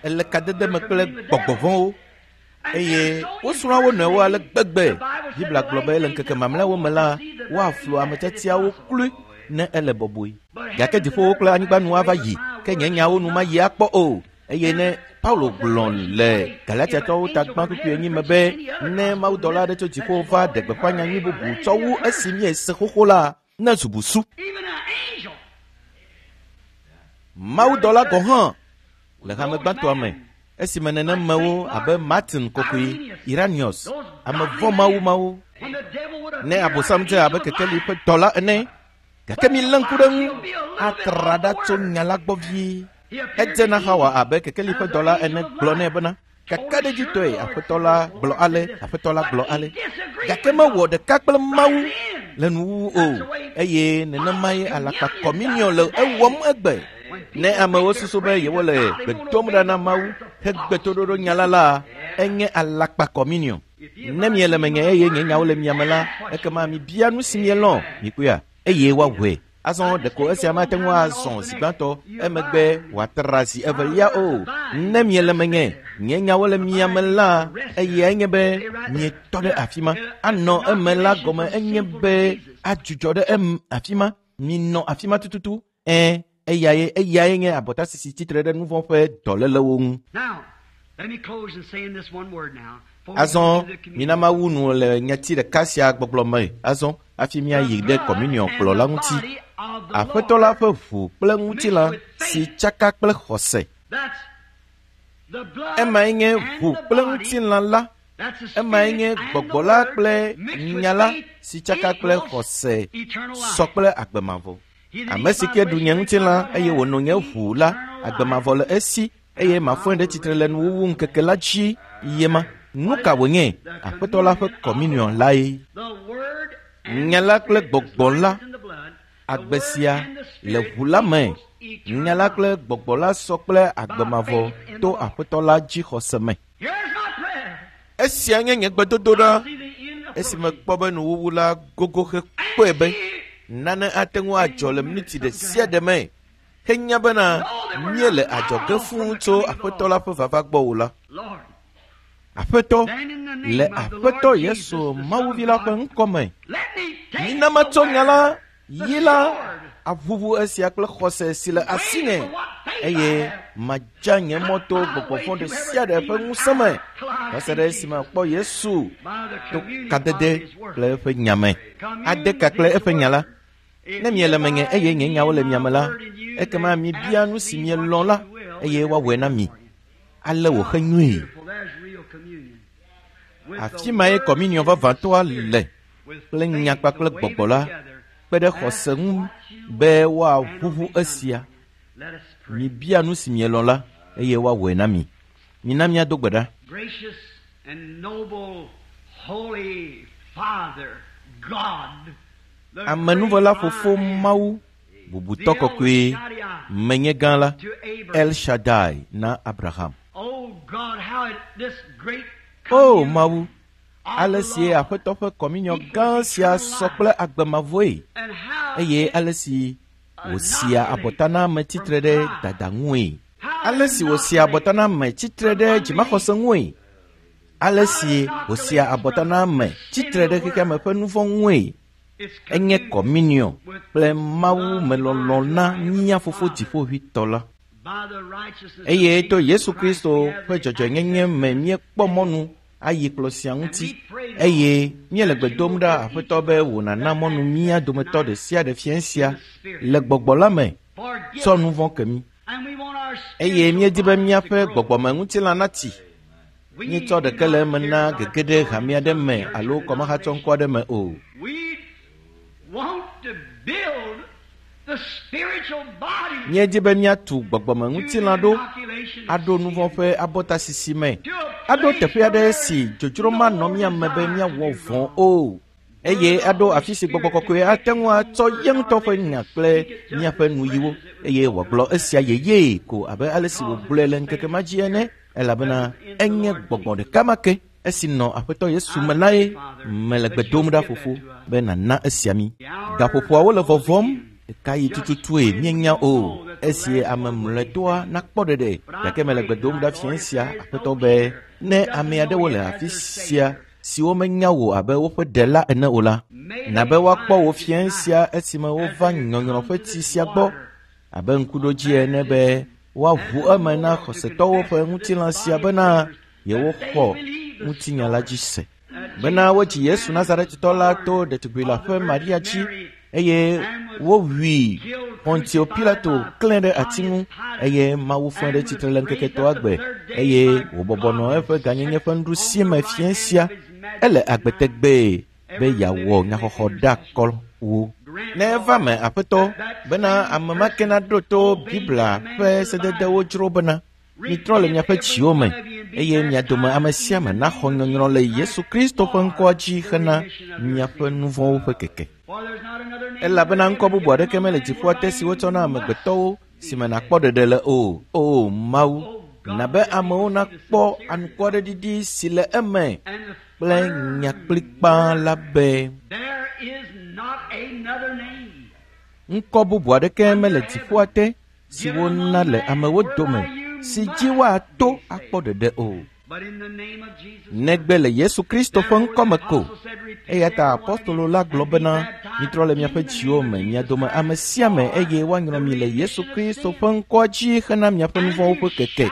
Èle kadede me kple gbɔgbɔ vɔ̃wo. Eye wosrɔ̃a wo nɔewo ale gbegbe. Biblia gblɔ be le ŋkeke mamlɛawo me la, woaflu ame tiatiawo kloe ne ele bɔbɔe. Gake dziƒowo kple anyigba nu ava yi, ke nye nyawo nu mayi akpɔ o. Eye ne Paulo gblɔ le Galatiatɔwo ta gbã kpukpui enyi me be ne mawudɔla aɖe tso dziƒo va ɖe gbeƒã nyanyui bubu tsɔ wu esi míese xoxo la, ne zu busu. Mawudɔla gɔ̃ hã le hame gbãtɔa me esime nenemewo abe Martin kɔkɔe, Iranius, ame vɔ̃ mawu mawo, ne Abosam dze abe kekeli ƒe dɔla ene, gake milé ŋku ɖe ŋu atra ɖa tso nya la gbɔ vie. Edze na Xawa abe kekeli ƒe dɔla ene gblɔ nɛ bena kakaɖedzitɔe Aƒetɔ la gblɔ ale, Aƒetɔ la gblɔ ale. Gake mewɔ ɖeka kple Mawu le nuwuwu o, eye nenemae alakpa kɔminiɔ le ewɔm egbe. Ne amewo susu be yewole gbe dom ɖa na Mawu hegbe toɖoɖo nya la la, enye alakpa kɔminiɔ. Ne miele menye eye nye nyawo le mia me la, ekema mibia nu si mielɔ̃, mikpɔea, eye woawɔe. Azɔ ɖeko esia mate ŋu azɔ zi gbãtɔ, emegbe wòatra zi evelia o. Ne miele menye, nye nyawo le mia me la, eyae nye be mietɔ ɖe afi ma. Anɔ eme la gɔme enye be adzudzɔ ɖe afi ma. Minɔ afi ma tututu. Ẽ, eyae nye abɔtasisi tsitre ɖe nu vɔ̃ ƒe dɔlélewo ŋu. Azɔ mina mawu nu le nyati ɖeka sia gbɔgblɔ me. Azɔ hafi míayi ɖe kɔminiɔ kplɔ la ŋuti. Aƒetɔ la ƒe ʋu kple ŋutilã si tsaka kple xɔse. Emae nye ʋu kple ŋutilã la. Emae nye gbɔgbɔ la kple nya la si tsaka kple xɔse sɔ kple agbe mavɔ. Ame si ke ɖu nye ŋutilã eye wòno nye ʋu la, agbe mavɔ le esi eye mafɔe ɖe tsitre le nuwuwu ŋkeke la dzi yema. Nu ka wònye? Aƒetɔ la ƒe kɔminiɔ lae. Nya la kple gbɔgbɔ la, agbe sia le ʋu la me. Nya la kple gbɔgbɔ la sɔ kple agbe mavɔ to Aƒetɔ la dzixɔse me. Esia nye nye gbedodoɖa esi mekpɔ be nuwuwu la gogo hekpɔe be nane ate ŋu adzɔ le miniti ɖe sia ɖe me henya bena míele adzɔge fũu tso Aƒetɔ la ƒe vava gbɔ o la. Aƒetɔ, le Aƒetɔ Yesu Mawuvi la ƒe ŋkɔ me, mina matsɔ nya la yi la aʋuʋu esia kple xɔse si le asinye, eye madza nye mɔ to gbɔgbɔ vɔ̃ ɖe sia ɖe ƒe ŋusẽ me va se ɖe esime makpɔ Yesu to kadede kple eƒe nya me. Ade ka kple eƒe nya la. Ne miele menye eye nye nyawo le mia me la, ekema mibia nu si mielɔ̃ la eye woawɔe na mi. Ale wòxe nyuie. Afi mae kɔminiɔ vavãtɔa le kple nya kpakple gbɔgbɔ la kpe ɖe xɔse ŋu be woaʋuʋu esia. Mibia nu si mielɔ̃ la eye woawɔe na mi. Mina míado gbe ɖa. Gracious and noble holy Father God, the Amenuvela great fofo I am, Mawu, bubutɔ kɔkɔe, menye gã la, to Abraham. El Shaddai na Abraham. Oh God, how it, this great O communion Mawu, of ale the si Lord Aƒetɔ ƒe kɔminiɔ gã sia sɔ kple agbe mavɔe and how eye it ale si wòsia abɔta na ame tsitre ɖe dada ŋue. Ale si wòsia abɔta na ame tsitre ɖe dzimaxɔse ŋue. Ale si wòsia abɔta na ame tsitre ɖe xexeame ƒe nu vɔ̃ ŋue. is Enye communion kɔminiɔ kple Mawu melɔlɔ̃ na mía fofo dziƒoʋĩtɔ la. by the righteousness Eye of to Jesus Yesu Christ Kristo we have ƒe the dzɔdzɔenyenye me míekpɔ mɔnu ayi kplɔ sia ŋuti eye míele gbe dom ɖa Aƒetɔ be wò nàna mɔnu mía dometɔ ɖe sia ɖe fiẽ sia le gbɔgbɔ la me Forgive tsɔ us. nu vɔ̃ ke mí. And we want our Eye spiritual míedi be bodies to míaƒe grow. gbɔgbɔmeŋutilã natsi. We Míetsɔ do ɖeke le not eme care na about gege ɖe hame aɖe me church alo or kɔmahatsɔŋkɔ aɖe me o. We want to build the spiritual body Míedi be míatu gbɔgbɔmeŋutilã ɖo inoculation of aɖo nu vɔ̃ sin. ƒe abɔtasisi me. To a Aɖo place teƒe aɖe where si dzodzro manɔ mía me be no míawɔ desire to do vɔ̃ wrong. o. Eye aɖo afi si gbɔgbɔ kɔkɔe ate ŋu atsɔ ye ŋutɔ ƒe nya kple míaƒe nuyiwo eye wòagblɔ esia yeyee ko abe ale si wògblɔe le ŋkeke ma dzi ene elabena enye gbɔgbɔ ɖeka ma ke esi nɔ Aƒetɔ Yesu me lae mele gbe dom ɖa fofo be nàna esia mí. Gaƒoƒoawo le vɔvɔm. Ɣekaɣi tututue míenya o, esi ame mlɔetɔa nakpɔ ɖeɖe. Gake mele gbe dom ɖa fiẽ sia, Aƒetɔ, be ne ame aɖewo le afi sia siwo menya wò abe woƒe ɖela ene o la, na be woakpɔ wò fiẽ sia esime wova nyɔnyrɔ ƒe tsi sia gbɔ abe ŋkuɖodzi ene be woaʋu eme na xɔsetɔwo ƒe ŋutilã sia bena yewoxɔ ŋutinya la dzi se. Bena wodzi Yesu Nazaretitɔ la to ɖetugbui leaƒe Maria dzi eye wowui Pontio Pilato klẽ ɖe ati ŋu eye Mawu fɔe ɖe tsitre le ŋkeke etɔ̃a gbe eye wòbɔbɔ nɔ eƒe gãnyenye ƒe nuɖusime fiẽ sia. Ele agbe tegbee be yeawɔ nyaxɔxɔ ɖe wo. Ne eva me, Aƒetɔ, bena ame ma ke naɖo to Biblia ƒe sededewo dzro bena mitrɔ le miaƒe dziwo me eye mia dome ame sia ame naxɔ nyɔnyrɔ le Yesu Kristo ƒe ŋkɔa dzi hena miaƒe nu vɔ̃wo ƒe keke. Elabena ŋkɔ bubu aɖeke mele dziƒoa te si wotsɔ na amegbetɔwo si me nakpɔ ɖeɖe le o. O Mawu, na be amewo nakpɔ anukwareɖiɖi si le eme kple nya kplikpaa la be ŋkɔ bubu aɖeke mele dziƒoa te si wona le amewo dome si dzi woato akpɔ ɖeɖe o. Negbe le Yesu Kristo ƒe ŋkɔme ko. Eya ta apostolo la gblɔ bena mitrɔ le miaƒe dziwo me, mia dome ame sia ame eye woanyrɔ mi le Yesu Kristo ƒe ŋkɔa dzi hena miaƒe nu vɔ̃wo ƒe keke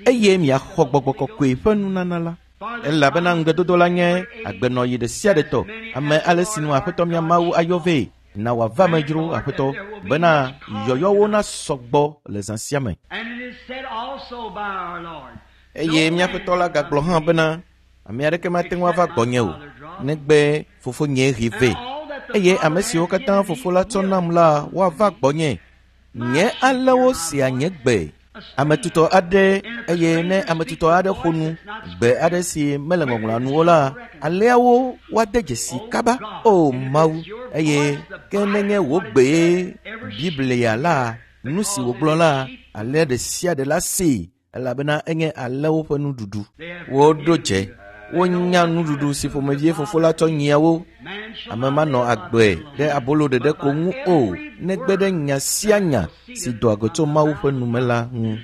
eye miaxɔ gbɔgbɔ kɔkɔe ƒe nunana la. Elabena ŋugbedodo la nye agbenɔɣi ɖe sia ɖe tɔ. Ame ale si nu Aƒetɔ mía Mawu ayɔ vɛ na wòava me dzro, Aƒetɔ, bena yɔyɔwo nasɔ gbɔ le zã sia me. Eye míaƒe tɔ la gagblɔ hã bena ame aɖeke mate ŋu ava gbɔnye o negbe fofonye hee vɛ. Eye ame siwo katã fofo la tsɔ nam la woava gbɔnye. Nye alẽwo sea nye gbe. Ame tutɔ aɖe eye ne ame tutɔ aɖe ƒo nu gbe aɖe si mele ŋɔŋlɔa nu o la, alẽawo woade dzesi kaba. O Mawu, eye ke nenye wò gbee Biblia la, nu si wògblɔ la, alẽ ɖe sia ɖe la see elabena enye alẽwo ƒe nuɖuɖu. Woɖo dze, wonya nuɖuɖu si ƒomevie fofo la tsɔ nyia wo. Ame manɔ agbe ɖe abolo ɖeɖe ko ŋu o, negbe ɖe nya sia nya si doa go tso Mawu ƒe nume la ŋu.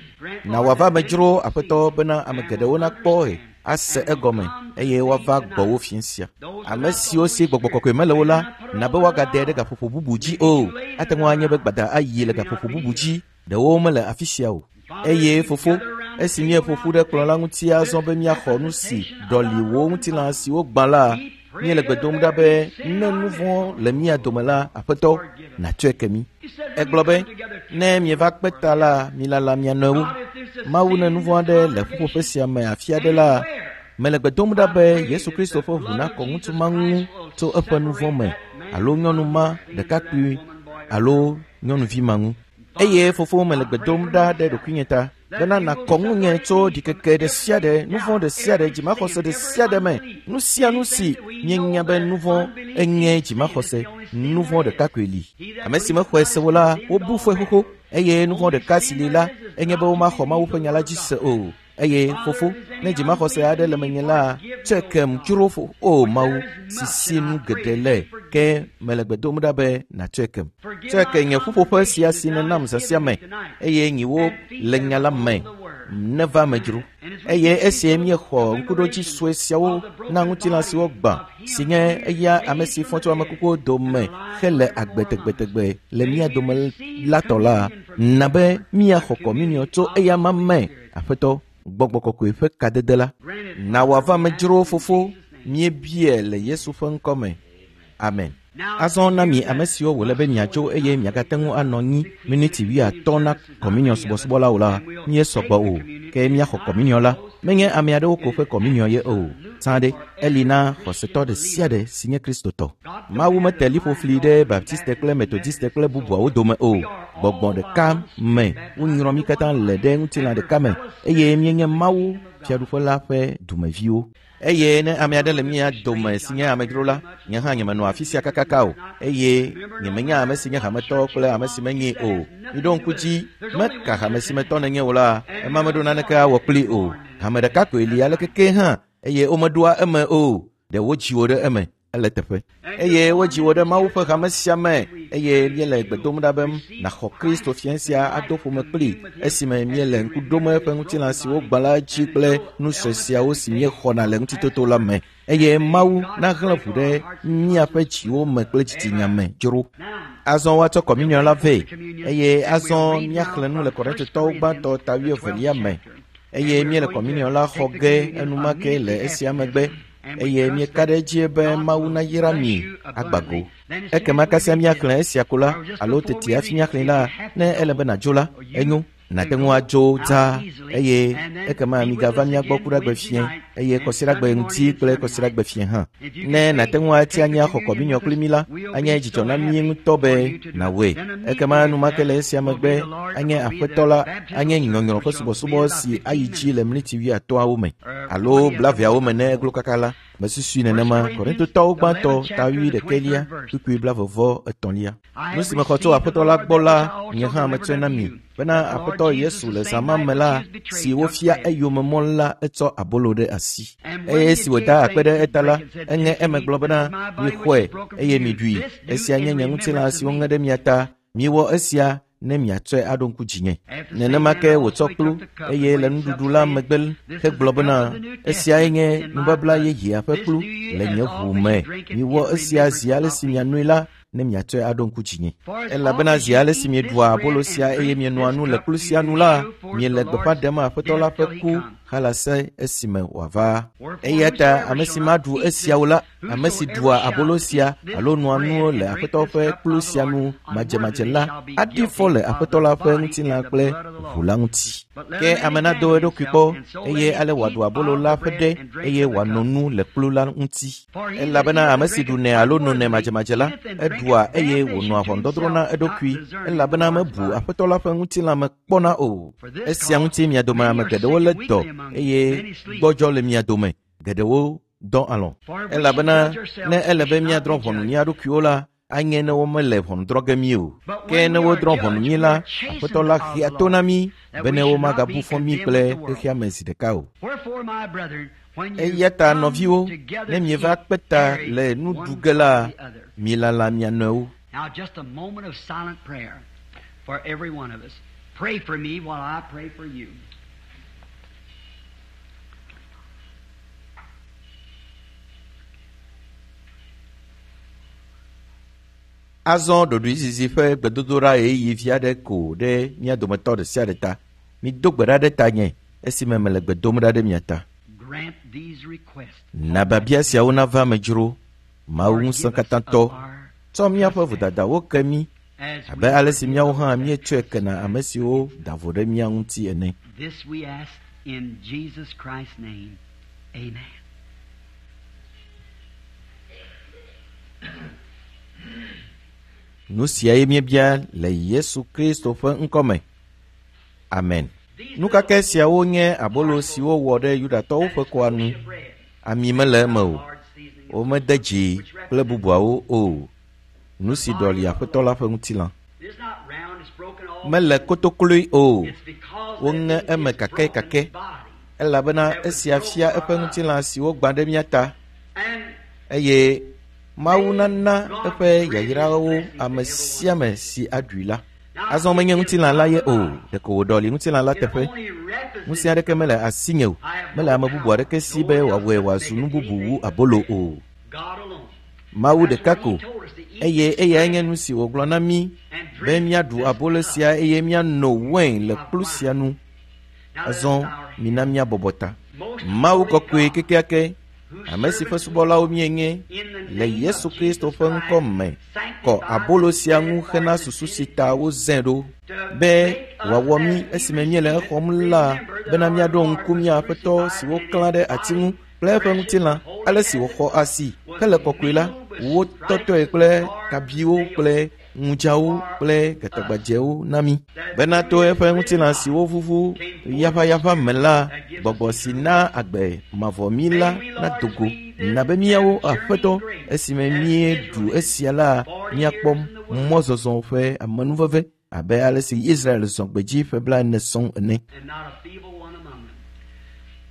Na wòava me dzro, Aƒetɔ, bena ame geɖewo nakpɔe, ase egɔme eye woava gbɔwò fiẽ sia. Ame siwo si gbɔgbɔ kɔkɔe mele o la, na be woagaɖe ɖe gaƒoƒo bubu dzi o. Ate ŋu anye be gbada ayi le gaƒoƒo bubu dzi. Ɖewo mele afi sia o. Eye fofo, esi míeƒo ƒu ɖe kplɔ̃ la ŋuti azɔ be míaxɔ nu si ɖɔli wò ŋutilã siwo gbã la, míele gbe dom ɖa be ne nu vɔ̃ le mía dome la, Aƒetɔ, nàtsɔe ke mí. Egblɔ be, ne mieva kpe ta la, milala mia nɔewo. Mawu ne nu vɔ̃ aɖe le ƒuƒoƒe sia me afi aɖe la, mele gbe dom ɖa be Yesu Kristo ƒe ʋu nakɔ ŋutsu ma ŋu tso eƒe nu vɔ̃ me alo nyɔnu ma ɖekakpui alo nyɔnuvi ma ŋu. Eye fofo mele gbe dom ɖa ɖe ɖokuinye ta bena nakɔ ŋunye tso ɖikeke ɖe sia ɖe, nu vɔ̃ ɖe sia ɖe, dzimaxɔse ɖe sia ɖe me. Nu sia nu si míenya be nu vɔ̃ enye dzimaxɔse, nu vɔ̃ ɖeka koe li. Ame si mexɔe se o la, wobu fɔe xoxo eye nu vɔ̃ ɖeka si li la enye be womaxɔ Mawu ƒe nya la dzi se o. Eye fofo, ne dzimaxɔse aɖe le menye la, tsɔe kem dzro fo. O Mawu, si si nu geɖe le, ke mele gbe dom ɖa be nàtsɔe kem. Tsɔe ke nye ƒuƒoƒe sia si nènam zã sia me, eye nyiwo le nya la me neva me dzro. Eye esie míexɔ ŋkuɖodzi sue siawo na ŋutilã siwo gbã, si nye eya ame si fɔ tso ame kukuwo dome hele agbe tegbetegbe le mía dome la tɔ la, na be míaxɔ kɔminiɔ tso eya ma me. Aƒetɔ, gbɔgbɔ kɔkɔe ƒe kadede la, na wòava me dzro fofo, míebia le Yesu ƒe ŋkɔ me. Amen. Azɔ na mi ame siwo wòle be miatso eye miagate ŋu anɔ anyi miniti 50 na kɔminiɔ subɔsubɔ la o la, míesɔ gbɔ o. Ke míaxɔ kɔminiɔ la, menye ame aɖewo ko ƒe kɔminiɔ ye o. Zã ɖe, eli na xɔsetɔ ɖe sia ɖe si nye Kristotɔ. Mawu mete liƒo fli ɖe Baptiste kple Methodiste kple bubuawo dome o. Gbɔgbɔ ɖeka me wonyrɔ mí katã le ɖe ŋutilã ɖeka me eye míenye Mawu fiaɖuƒe la ƒe dumeviwo. Eye ne ame aɖe le mía dome si nye amedzro la, nye hã nyemenɔ afi sia kakaka o, eye nyemenya ame si nye hametɔ kple ame si menyee o. Miɖo ŋku dzi, meka hame si me tɔ nènye o la, ema meɖo naneke awɔ kplii o. Hame ɖeka koe li aleke ke hã, eye womeɖoa eme o. Ɖe wodzi wò ɖe eme, ele teƒe. Eye wodzi wò ɖe Mawu ƒe hame sia me. eye míele gbe dom ɖa be nàxɔ Kristo fia sia ado ƒome kpli esime míele ŋku ɖom eƒe ŋutilã si wogbã la dzi kple nu sue siawo si míexɔna le ŋutitoto la me. Eye Mawu nahlẽ ʋu ɖe míaƒe dziwo me kple dzitsinya me dzro. Azɔ woatsɔ kɔminiɔ la vɛ, eye azɔ míaxlẽ nu le Korintotɔwo gbãtɔ ta wuievelia me. Eye míele kɔminiɔ la xɔ ge enumake le esia megbe, eye míeka ɖe edzi be Mawu nayra mi agbago. Ekema kasia míaxlẽ esia ko la, alo tete hafi míaxlẽe la, ne ele be nàdzo la, enyo. Nàte ŋu adzo dzaa, eye ekema migava mía gbɔ kuɖagbe fiẽ, eye kɔsiɖagbe ŋdi kple kɔsiɖagbe fiẽ hã. Ne nàte ŋu ati anyi axɔ kɔminiɔ kpli mí la, anye dzidzɔ na mí ŋutɔ be nàwɔe. Ekema enumake le esia megbe, anye Aƒetɔ la, anye nyɔnyrɔ ƒe subɔsubɔ si ayi dzi le mliti wuiatɔ̃awo me alo blaeveawo me ne eglo kaka la. Mesusui nenema. Korintotɔwo gbãtɔ ta wuiɖekɛlia, kpukpui blaeve-vɔ-etɔ̃lia. Nu si mexɔ tso Aƒetɔ la gbɔ la, nye hã metsɔe na mi, bena Aƒetɔ Yesu le zã ma me la, si wofia eyome mɔ la, etsɔ abolo ɖe asi. Eye esi wòda akpe ɖe eta la, eŋe eme gblɔ bena, Mixɔe, eye miɖui. Esia nye nye ŋutilã si woŋe ɖe mia ta. Miwɔ esia ne miatsɔe aɖo ŋku dzinye. Nenema ke wòtsɔ kplu, eye le nuɖuɖu la megbe hegblɔ bena, Esiae nye nubabla yeyea ƒe kplu le nye ʋu me. Miwɔ esia zi ale si mianoe la, ne miatsɔe aɖo ŋku dzinye. Elabena zi ale si mieɖua abolo sia eye mienoa nu le kplu sia nu la, miele gbeƒã ɖem Aƒetɔ la ƒe ku halase esime wòava. Eya ta ame si maɖu esiawo la, ame si ɖua abolo sia alo noa nu le Aƒetɔ ƒe kplu sia nu madzemadze la, aɖi fɔ le Aƒetɔ la ƒe ŋutilã kple ʋu la ŋuti. Ke ame nado eɖokui kpɔ, eye ale wòaɖu abolo la ƒe ɖe, eye wòano nu le kplu la ŋuti. Elabena ame si ɖunɛ alo nonɛ madzemadze la, eɖua eye wònɔa ʋɔnudɔdrɔ̃ na eɖokui, elabena mebu Aƒetɔ la ƒe ŋutilã me kpɔna o. Esia ŋuti mia dome ame geɖewo lé dɔ eye gbɔdzɔ le mia dome, geɖewo dɔ alɔ̃. Elabena ne ele be míadrɔ̃ ʋɔnu mía ɖokuiwo la, anye ne womele ʋɔnu drɔ̃ ge mí o. Ke ne wodrɔ̃ ʋɔnu mí la, Aƒetɔ la xea to na mí bene womagabu fɔ mí kple xexea me zi ɖeka o. Eya ta nɔviwo, ne mieva kpe ta le nu ɖu ge la, milala mia nɔewo. Now, just a moment of silent prayer for every one of us. Pray for me while I pray for you. Azɔ ɖoɖoezizi ƒe gbedodoɖa ɣeyiɣi vi aɖe ko ɖe mía dometɔ ɖe sia ɖe ta. Mido gbe ɖa ɖe tanye esime mele gbe dom ɖa ɖe mia ta. Grant these requests. Na biabia siawo nava eme dzro. Mawu ŋusẽkatãtɔ, tsɔ míaƒe vodadawo ke mí As abe ale si míawo hã míetsɔe kena ame siwo da vo ɖe mía ŋuti ene. This we ask in Jesus Christ's name. Amen. Nu siae míebia le Yesu Kristo ƒe ŋkɔ me. Amen. Nukake siawo nye abolo siwo wɔ ɖe Yudatɔwo ƒe kɔa nu. Ami mele eme o. Womede dzi kple bubuawo o. Nu si ɖɔli Aƒetɔ la ƒe ŋutilã. It's not round, it's broken all. Mele kotokloe o. It's because Woŋe that eme his kakɛkakɛ. broken body. Elabena esia fia eƒe ŋutilã si wogbã ɖe mía ta And eye Mawu nana eƒe yayrawo ame sia ame si aɖui la. Azɔ menye ŋutilã la ye o, ɖeko wòɖɔli ŋutilã la it teƒe. only represents Ŋusẽ aɖeke mele asinye o. Mele ame bubu aɖeke si be wòawɔe wòazu nu bubu wu abolo o. God alone. Mawu ɖeka ko, eye eyae nye nu si wògblɔ na mí be míaɖu abolo sia eye míano wain le kplu sia nu. Azɔ mina míabɔbɔ ta. Mawu kɔkɔe kekeake, ame si ƒe subɔlawo míenye le Yesu Kristo ƒe ŋkɔ me, kɔ abolo sia ŋu hena susu si ta wozãe ɖo be wòawɔ mí esime míele exɔm la bena míaɖo ŋku mía Aƒetɔ si woklã ɖe ati ŋu kple eƒe ŋutilã, ale si wòxɔ asi hele kɔkɔe la, wotɔtɔe kple kabiwo kple ŋudzawo kple gatagbadzɛwo na mí. Bena to eƒe ŋutilã si wovuvu yaʋayaʋa me la, gbɔgbɔ si na agbe mavɔ mí la nado go. Na be míawo Aƒetɔ, esime míeɖu esia la, míakpɔ mɔzɔzɔ ƒe amenuveve abe ale si Israel zɔ gbedzi ƒe blaene sɔŋ ene. And not a feeble one among them.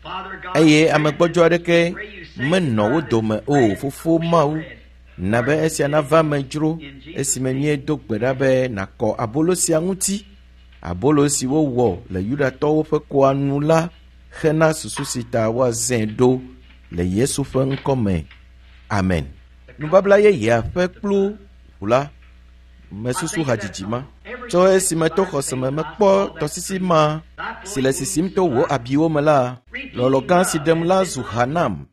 Father God, Eye ame gbɔdzɔ aɖeke menɔ wo dome o. Fofo Mawu, Na be esia nava me dzro esime míedo gbe ɖa be nàkɔ abolo sia ŋuti. Abolo si wowɔ le Yudatɔwo ƒe kɔa nu la hena susu si ta woazãe ɖo le Yesu ƒe ŋkɔ me. Amen. Nubabla yeyea ƒe kplu ʋu la mesusu hadzidzi ma. Tso esime to xɔse me mekpɔ tɔsisi ma si le sisim to wò abiwo me la, lɔlɔ̃ gã si ɖem la zu ha nam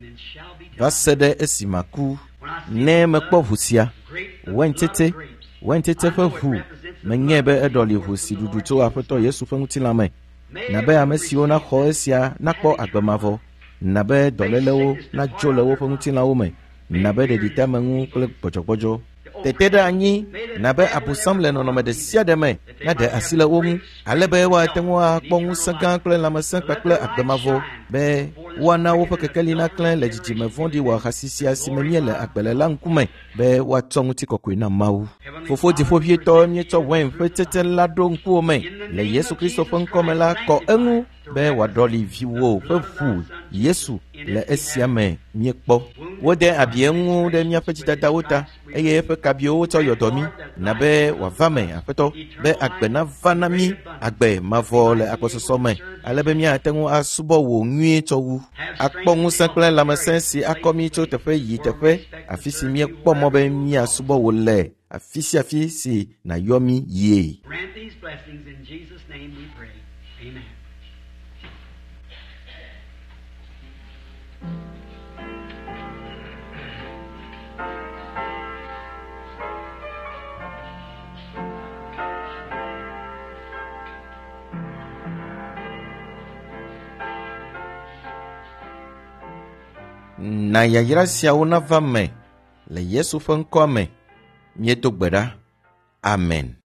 va se ɖe esi maku. Ne mekpɔ ʋu sia, wɛntsetse, wɛntsetse ƒe ʋu, menyae be eɖɔli ʋu si ɖuɖu tso Aƒetɔ Yesu ƒe ŋutilã me. Na be ame siwo naxɔ esia nakpɔ agbe mavɔ. Na be dɔlélewo nadzo le woƒe ŋutilãwo me. Na be ɖeɖiteameŋu kple gbɔdzɔgbɔdzɔ. Tete ɖe anyi na be abosam le nɔnɔme ɖe sia ɖe me naɖe asi le wo ŋu ale be woate ŋu akpɔ ŋusẽ gã kple lãmesẽ kpakple agbe mavɔ be woana woƒe kekeli naklẽ le dzidzime vɔ̃ɖi wɔahasi sia si me míele agbe le la ŋkume be woatsɔ ŋutikɔkɔe na Mawu. Fofo dziƒoʋĩtɔ míetsɔ wain ƒe tsetse la ɖo ŋkuwò me le Yesu Kristo ƒe ŋkɔme la kɔ eŋu be wòaɖɔli viwò ƒe ʋu Yesu le esia me míekpɔ. Wode abi eŋu ɖe míaƒe dzidadawo ta eye eƒe kabiwo wotsɔ yɔ dɔ mí na be wòava me Aƒetɔ be agbe nava na mí agbe mavɔ le agbɔsɔsɔ me ale be míate ŋu asubɔ wò nyuie tsɔ wu. Akpɔ ŋusẽ kple lãmesẽ si akɔ mí tso teƒe yi teƒe afi si míekpɔ mɔ be míasubɔ wò le afi sia afi si nàyɔ mí yie. Grant these blessings in Jesus' name we pray. Amen. Na yayra siawo nava me le Yesu ƒe ŋkɔa me. Míedo gbe ɖa. Amen.